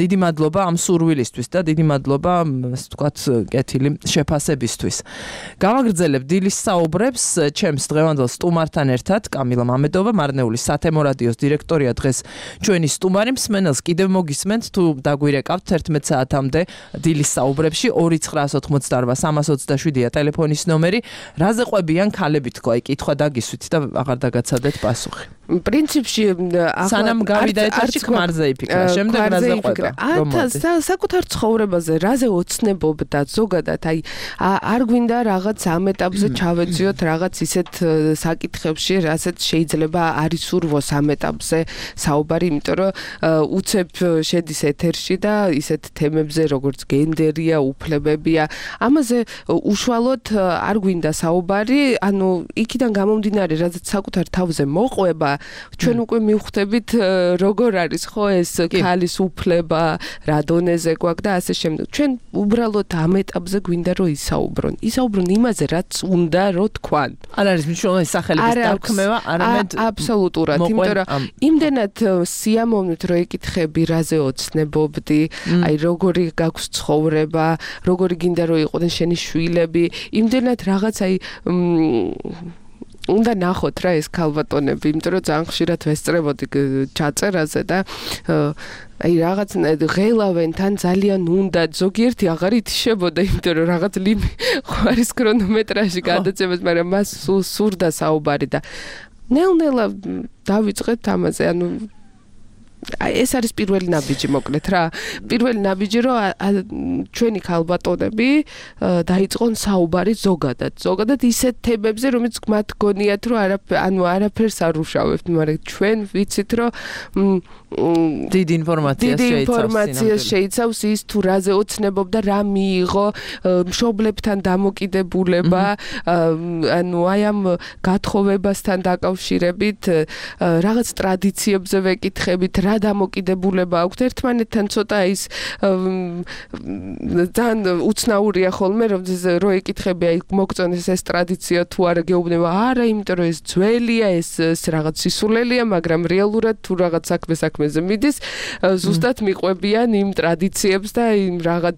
დიდი მადლობა ამ სურვილისთვის და დიდი მადლობა, ასე ვთქვათ, კეთილი შეფასებისთვის. გავაგრძელებ დილის საუბრებს ჩემს დღევანდელ სტუმართან ერთად, კამილა მამედოვა, მარნეულის სათემო რადიოს დირექტორია დღეს ჩვენი სტუმარი. მსმენელს კიდევ მოგისმენთ, თუ დაგვირეკავთ ერთმეტ საათამდე დილის საუბრებში ორი ცხრაას ოცდაოთხ სამას ოცდაშვიდია ტელეფონის ნომერი. რაზე ყვებიან ქალები თქვა, აი კითხვა დაგისვით და აღარ დაგაცადეთ პასუხი. პრინციპში სანამ გავიდა ეთერში ქმარზე იფიქრა, შემდეგ რაზე ყვება. ათასა საკუთარ ცხოვრებაზე რაზე ოცნებობდა ზოგადად, აი არ გვინდა რაღაც ამ ეტაპზე ჩავეძიოთ რაღაც ისეთ საკითხებში, რასაც შეიძლება არის ურვოს ამ ეტაპზე საუბარი, იმიტომ რომ უცებ შედის ეთერში და ისეთ თემებზე როგორც გენდერია, უფლებებია, ამაზე უშუალოდ არ გვინდა საუბარი, ანუ იქიდან გამომდინარე, რაც საკუთარ თავზე მოყვება, ჩვენ უკვე მივხვდებით როგორ არის ხო ეს ქალის უფლება, რა დონეზე გვაქვს და ასე შემდეგ. ჩვენ უბრალოდ ამ ეტაპზე გვინდა რომ ისაუბრონ. ისაუბრონ იმაზე, რაც უნდა რომ თქვან. არ არის მნიშვნელოვანი სახელების დარქმევა, არამედ აბსოლუტურად, იმიტომ რომ იმდენად სიამოვნით რომ ეკითხები, რაზე ოცნებობდი, აი როგორი გაქვს ცხოვრება, როგორი გინდა რომ იყვნენ შენი შვილები, იმდენად რაღაც აი უნდა ნახოთ რა ეს ქალბატონები, იმიტომ რომ ძალიან ხშირად ვესწრებოდი ჩაწერაზე და აი რაღაც ღელავენ თან ძალიან უნდა ზოგიერთი აღარ ითიშებოდა, იმიტომ რომ რაღაც ლიმი ხარის ქრონომეტრაჟი გადაცემას, მაგრამ მას სულ სურდა საუბარი და ნელ-ნელა დავიწყეთ ამაზე, ანუ აი ეს არის პირველი ნაბიჯი მოკლედ რა. პირველი ნაბიჯი რომ ჩვენი ქალბატონები დაიწყონ საუბარი ზოგადად. ზოგადად ისეთ თემებზე, რომელიც მათ გონიათ რომ ანუ არაფერს არ უშავებთ, მაგრამ ჩვენ ვიცით რომ დიდი ინფორმაცია დიდი ინფორმაცია შეიცავს ის თუ რაზე ოცნებობდა, რა მიიღო, მშობლებთან დამოკიდებულება, ანუ აი ამ გათხოვებასთან დაკავშირებით, რაღაც ტრადიციებზე ვეკითხებით, რა დამოკიდებულება აქვს ერთმანეთთან ცოტა ის ძალიან უცნაურია ხოლმე რომ რო ეკითხები აი მოგწონეს ეს ტრადიცია თუ არა გეუბნება არა იმიტომ რომ ეს ძველია ეს რაღაც სისულელია მაგრამ რეალურად თუ რაღაც საქმე საქმეზე მიდის ზუსტად მიყვებიან იმ ტრადიციებს და იმ რაღაც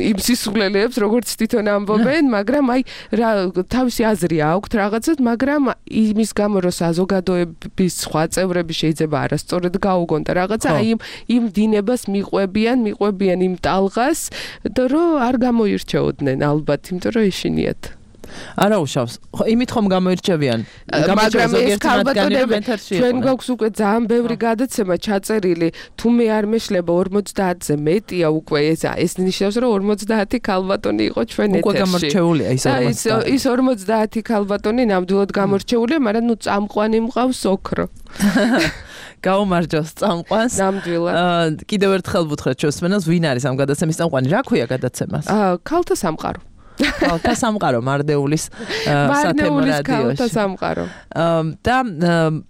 იმ სისულელეებს როგორც თვითონ ამბობენ მაგრამ აი რა თავისი აზრი აქვს რაღაცად მაგრამ იმის გამო რომ საზოგადოების სხვა წევრები შეიძლება არასწორად გაუგონ და რაღაცა აი იმ დინებას მიყვებიან, მიყვებიან იმ ტალღას და რომ არ გამოირჩეოდნენ ალბათ, იმიტომ რომ ეშინიათ. არა უშავს. იმით ხომ გამოირჩევიან. მაგრამ ეს ქალბატონები ჩვენ გვაქვს უკვე ძალიან ბევრი გადაცემა ჩაწერილი, თუ მე არ მეშლება ორმოცდაათზე მეტია უკვე ეს ეს ნიშნავს რომ ორმოცდაათი ქალბატონი იყო ჩვენ ეთერში. უკვე გამორჩეულია ის ორმოცდაათი. ის ორმოცდაათი ქალბატონი ნამდვილად გამორჩეულია, მაგრამ ნუ წამყვანი მყავს ოქრო. გაუმარჯოს წამყვანს. ნამდვილად. კიდევ ერთხელ ვუთხრათ ჩვენს მენელს, ვინ არის ამ გადაცემის წამყვანი? რა ქვია გადაცემას? აა, ქალთა სამყარო. ქალთა სამყარო მარნეულის სათემო რადიოში. ქალთა სამყარო. და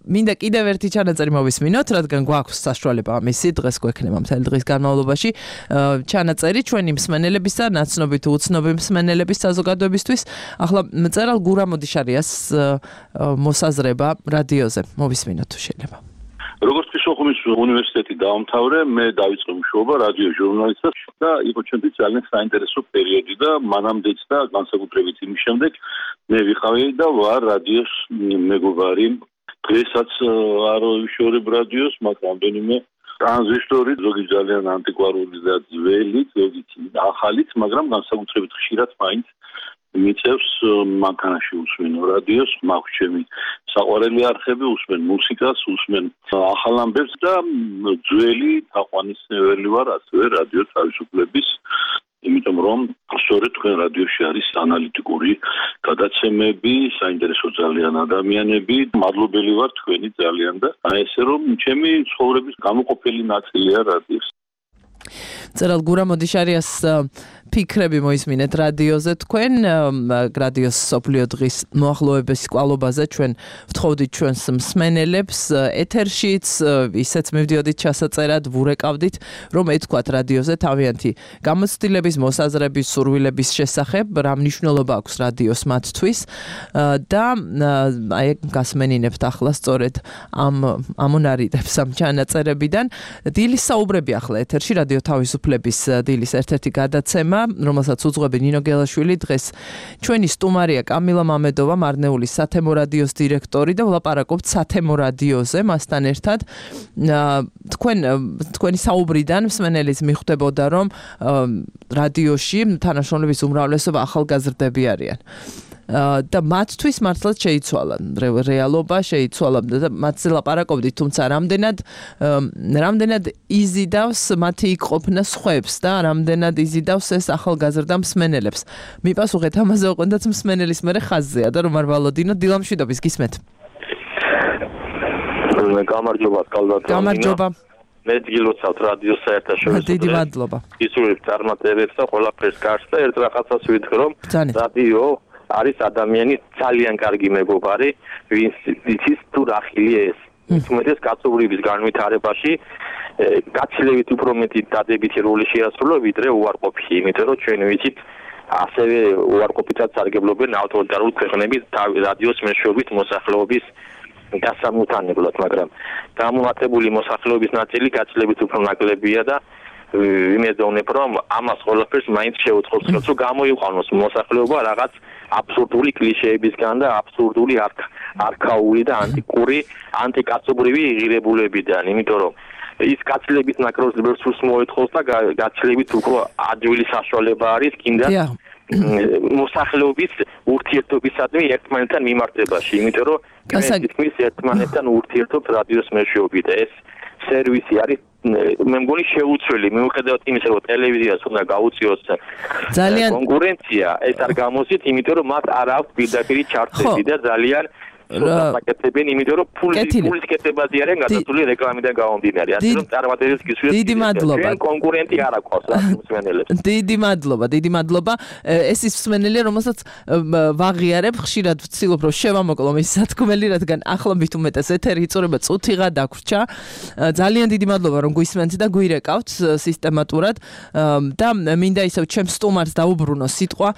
მინდა კიდევ ერთი ჩანაწერი მოვისმინოთ, რადგან გვაქვს საშუალება ამისი დღეს გვექნება მთელი დღის განმავლობაში ჩანაწერი ჩვენი მსმენელების და ნაცნობი თუ უცნობი მსმენელების საზოგადოებისთვის. ახლა მწერალ გურამ ოდიშარიას მოსაზრება რადიოზე მოვისმინოთ თუ შეიძლება. როგორც ფსიქოლოგიის უნივერსიტეტი დაამთავრე, მე დავიწყე მუშაობა რადიო ჟურნალისტად და იყო ჩვენთვის ძალიან საინტერესო პერიოდი და მანამდეც და განსაკუთრებით იმის შემდეგ, მე ვიყავი და ვარ რადიოს მეგობარი. დღესაც არ ვიშორებ რადიოს, მაგრამ რამდენიმე ტრანზისტორი, ზოგი ძალიან ანტიკვარული და ძველი, ზოგი ახალიც, მაგრამ განსაკუთრებით ხშირად მაინც მიწევს მანქანაში უსმენ რადიოს, მაქვს ჩემი საყვარელი არხები, უსმენ მუსიკას, უსმენ ახალ ამბებს და ძველი თაყვანისმცემელი ვარ ასევე რადიო თავისუფლების, იმიტომ რომ სწორედ თქვენ რადიოში არის ანალიტიკური გადაცემები, საინტერესო ძალიან ადამიანები, მადლობელი ვარ თქვენი ძალიან და აი ესე რომ ჩემი ცხოვრების გამოყოფილი ნაწილია რადიოს. წერალ გურამ ოდიშარიას ფიქრები მოისმინეთ რადიოზე თქვენ რადიოს სოფლიო დღის მოახლოების კვალობაზე ჩვენ ვთხოვდით ჩვენს მსმენელებს ეთერშიც ისეც მივდიოდით ჩასაწერად ვურეკავდით რომ ეთქვათ რადიოზე თავიანთი გამოცდილების მოსაზრების სურვილების შესახებ რა მნიშვნელობა აქვს რადიოს მათთვის და აი გასმენინებთ ახლა სწორედ ამ ამონარიდებს ამ ჩანაწერებიდან დილის საუბრები ახლა ეთერში რადიო თავისუფლების დილის ერთ-ერთი გადაცემა რომელსაც უძღვები ნინო გელაშვილი დღეს ჩვენი სტუმარია კამილა მამედოვა მარნეულის სათემო რადიოს დირექტორი და ვლაპარაკობთ სათემო რადიოზე მასთან ერთად თქვენ თქვენი საუბრიდან მსმენელის მიხვდებოდა რომ რადიოში თანაშრომლების უმრავლესობა ახალგაზრდები არიან და მათთვის მართლაც შეიცვალა რეალობა შეიცვალა და მათზე ლაპარაკობდით თუმცა რამდენად რამდენად იზიდავს მათი იქ-ყოფნა სხვებს და რამდენად იზიდავს ეს ახალგაზრდა მსმენელებს მიპასუხეთ ამაზე ოღონდაც მსმენელის მერე ხაზზეა და რომ არ ვალოდინო დილამშვიდობის გისმენთ გამარჯობა კალდატო გამარჯობა მე დილოცავთ რადიო საერთაშორისო დიდი მადლობა ისურვებ წარმატებებს და ყველაფერს კარგს და ერთ რაღაცას ვიტყვი რომ რადიო არის ადამიანი ძალიან კარგი მეგობარი, ვინც იცის თუ რა ხილია ეს. თუმცა კაცობრიობის განვითარებაში გაცილებით უფრო მეტი დადებითი როლი შეასრულა ვიდრე უარყოფითი, იმიტომ რომ ჩვენ ვიცით ასევე უარყოფითად სარგებლობენ ავტორიტარული ქვეყნები რადიოს მეშვეობით მოსახლეობის გასამუთანებლად, მაგრამ გამოვატებული მოსახლეობის ნაწილი გაცილებით უფრო ნაკლებია და ვიმედოვნებ რომ ამას ყველაფერს მაინც შეუწყობს რომ გამოიყვანოს მოსახლეობა რაღაც აბსურდული კლიშეებისგან და აბსურდული არქაული და ანტიკური ანტიკაცობრივი ღირებულებიდან, იმიტომ რომ ის კაცლების ნაკროზებს სულს მოეთხოს და გაცილებით უფრო ადვილი საშუალება არის კიდე მოსახლეობის ურთიერთობისადმი ერთმანეთთან მიმართებაში, იმიტომ რომ ის ერთმანეთთან ურთიერთობს რადიოს მეშვეობით და ეს სერვისი არის მე მგონი შეუცვლელი მიუხედავად იმისა რომ ტელევიზიას უნდა გაუწიოს ძალიან კონკურენცია ეს არ გამოსით იმიტომ რომ მათ არ აქვს პირდაპირი ჩარტები და ძალიან საკეთებენ იმიტომ რომ ფულის კეთებაზე არიან გადასული რეკლამიდან გამომდინარე ასე რომ წარმატებებს გისურვებთ დიდი მადლობა კონკურენტი არ აქვს მსმენელებს დიდი მადლობა დიდი მადლობა ეს ის მსმენელი რომელსაც ვაღიარებ ხშირად ვცდილობ რომ შევამოკლო მის სათქმელი რადგან ახლა მით უმეტეს ეთერი იწურება წუთიღა დაგვრჩა ძალიან დიდი მადლობა რომ გვისმენთ და გვირეკავთ სისტემატურად და მინდა ისევ ჩემს სტუმარს დაუბრუნო სიტყვა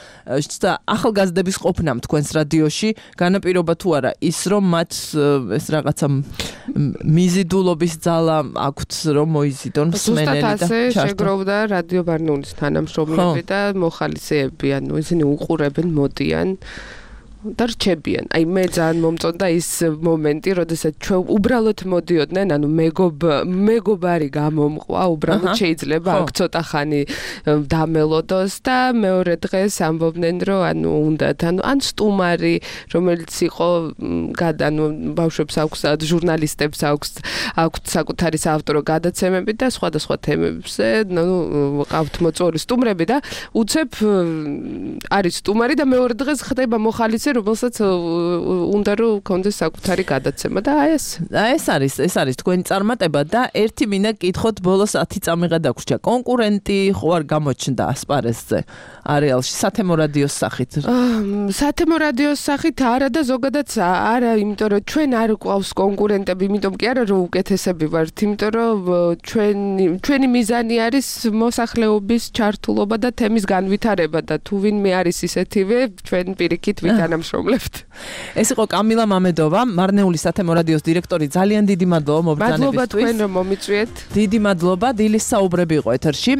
ახალგაზრდების ყოფნამ თქვენს რადიოში განაპირობა თუ არა ის რომ მათ ეს რაღაცა მიზიდულობის ძალა აქვთ რომ მოიზიდონ მსმენელი და ჩართონ. ზუსტად ასე შეგროვდა რადიო ბარნაულის თანამშრომლები და მოხალისეები, ანუ ისინი უყურებენ, მოდიან და რჩებიან. აი მე ძალიან მომწონდა ის მომენტი, როდესაც ჩვენ უბრალოდ მოდიოდნენ, ანუ მეგობ მეგობარი გამომყვა, უბრალოდ შეიძლება აქ ცოტა ხანი დამელოდოს და მეორე დღეს ამბობდნენ, რომ ანუ უნდათ, ანუ ან სტუმარი, რომელიც იყო ანუ ბავშვებს აქვს ჟურნალისტებს აქვს აქვს საკუთარი საავტორო გადაცემები და სხვადასხვა თემებზე, ну, ყავთ მოწვეული სტუმრები და უცებ არის სტუმარი და მეორე დღეს ხდება მოხალისე რომელსაც უნდა რომ კონდეს საკუთარი გადაცემა და აი ეს აი ეს არის ეს არის თქვენი წარმატება და ერთი მინდა გითხოთ ბოლოს ათი წამიღა დაგვრჩა კონკურენტი ხო არ გამოჩნდა ასპარეზზე არეალში სათემო რადიოს სახით სათემო რადიოს სახით არა და ზოგადად არა იმიტომ რომ ჩვენ არ გვყავს კონკურენტები იმიტომ კი არა რომ უკეთესები ვართ იმიტომ რომ ჩვენი ჩვენი მიზანი არის მოსახლეობის ჩართულობა და თემის განვითარება და თუ ვინმე არის ისეთივე ჩვენ პირიქით ვიტანამ შრომლებთ. ეს იყო კამილა მამედოვა, მარნეულის სათემო რადიოს დირექტორი. ძალიან დიდი მადლობა მობრძანებისთვის. მადლობა თქვენ რომ მომიწვიეთ. დიდი მადლობა. დილის საუბრები იყო ეთერში.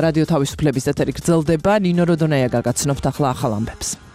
რადიო თავისუფლების ეთერი გრძელდება. ნინო როდონაია გაგაცნობთ ახლა ახალ ამბებს.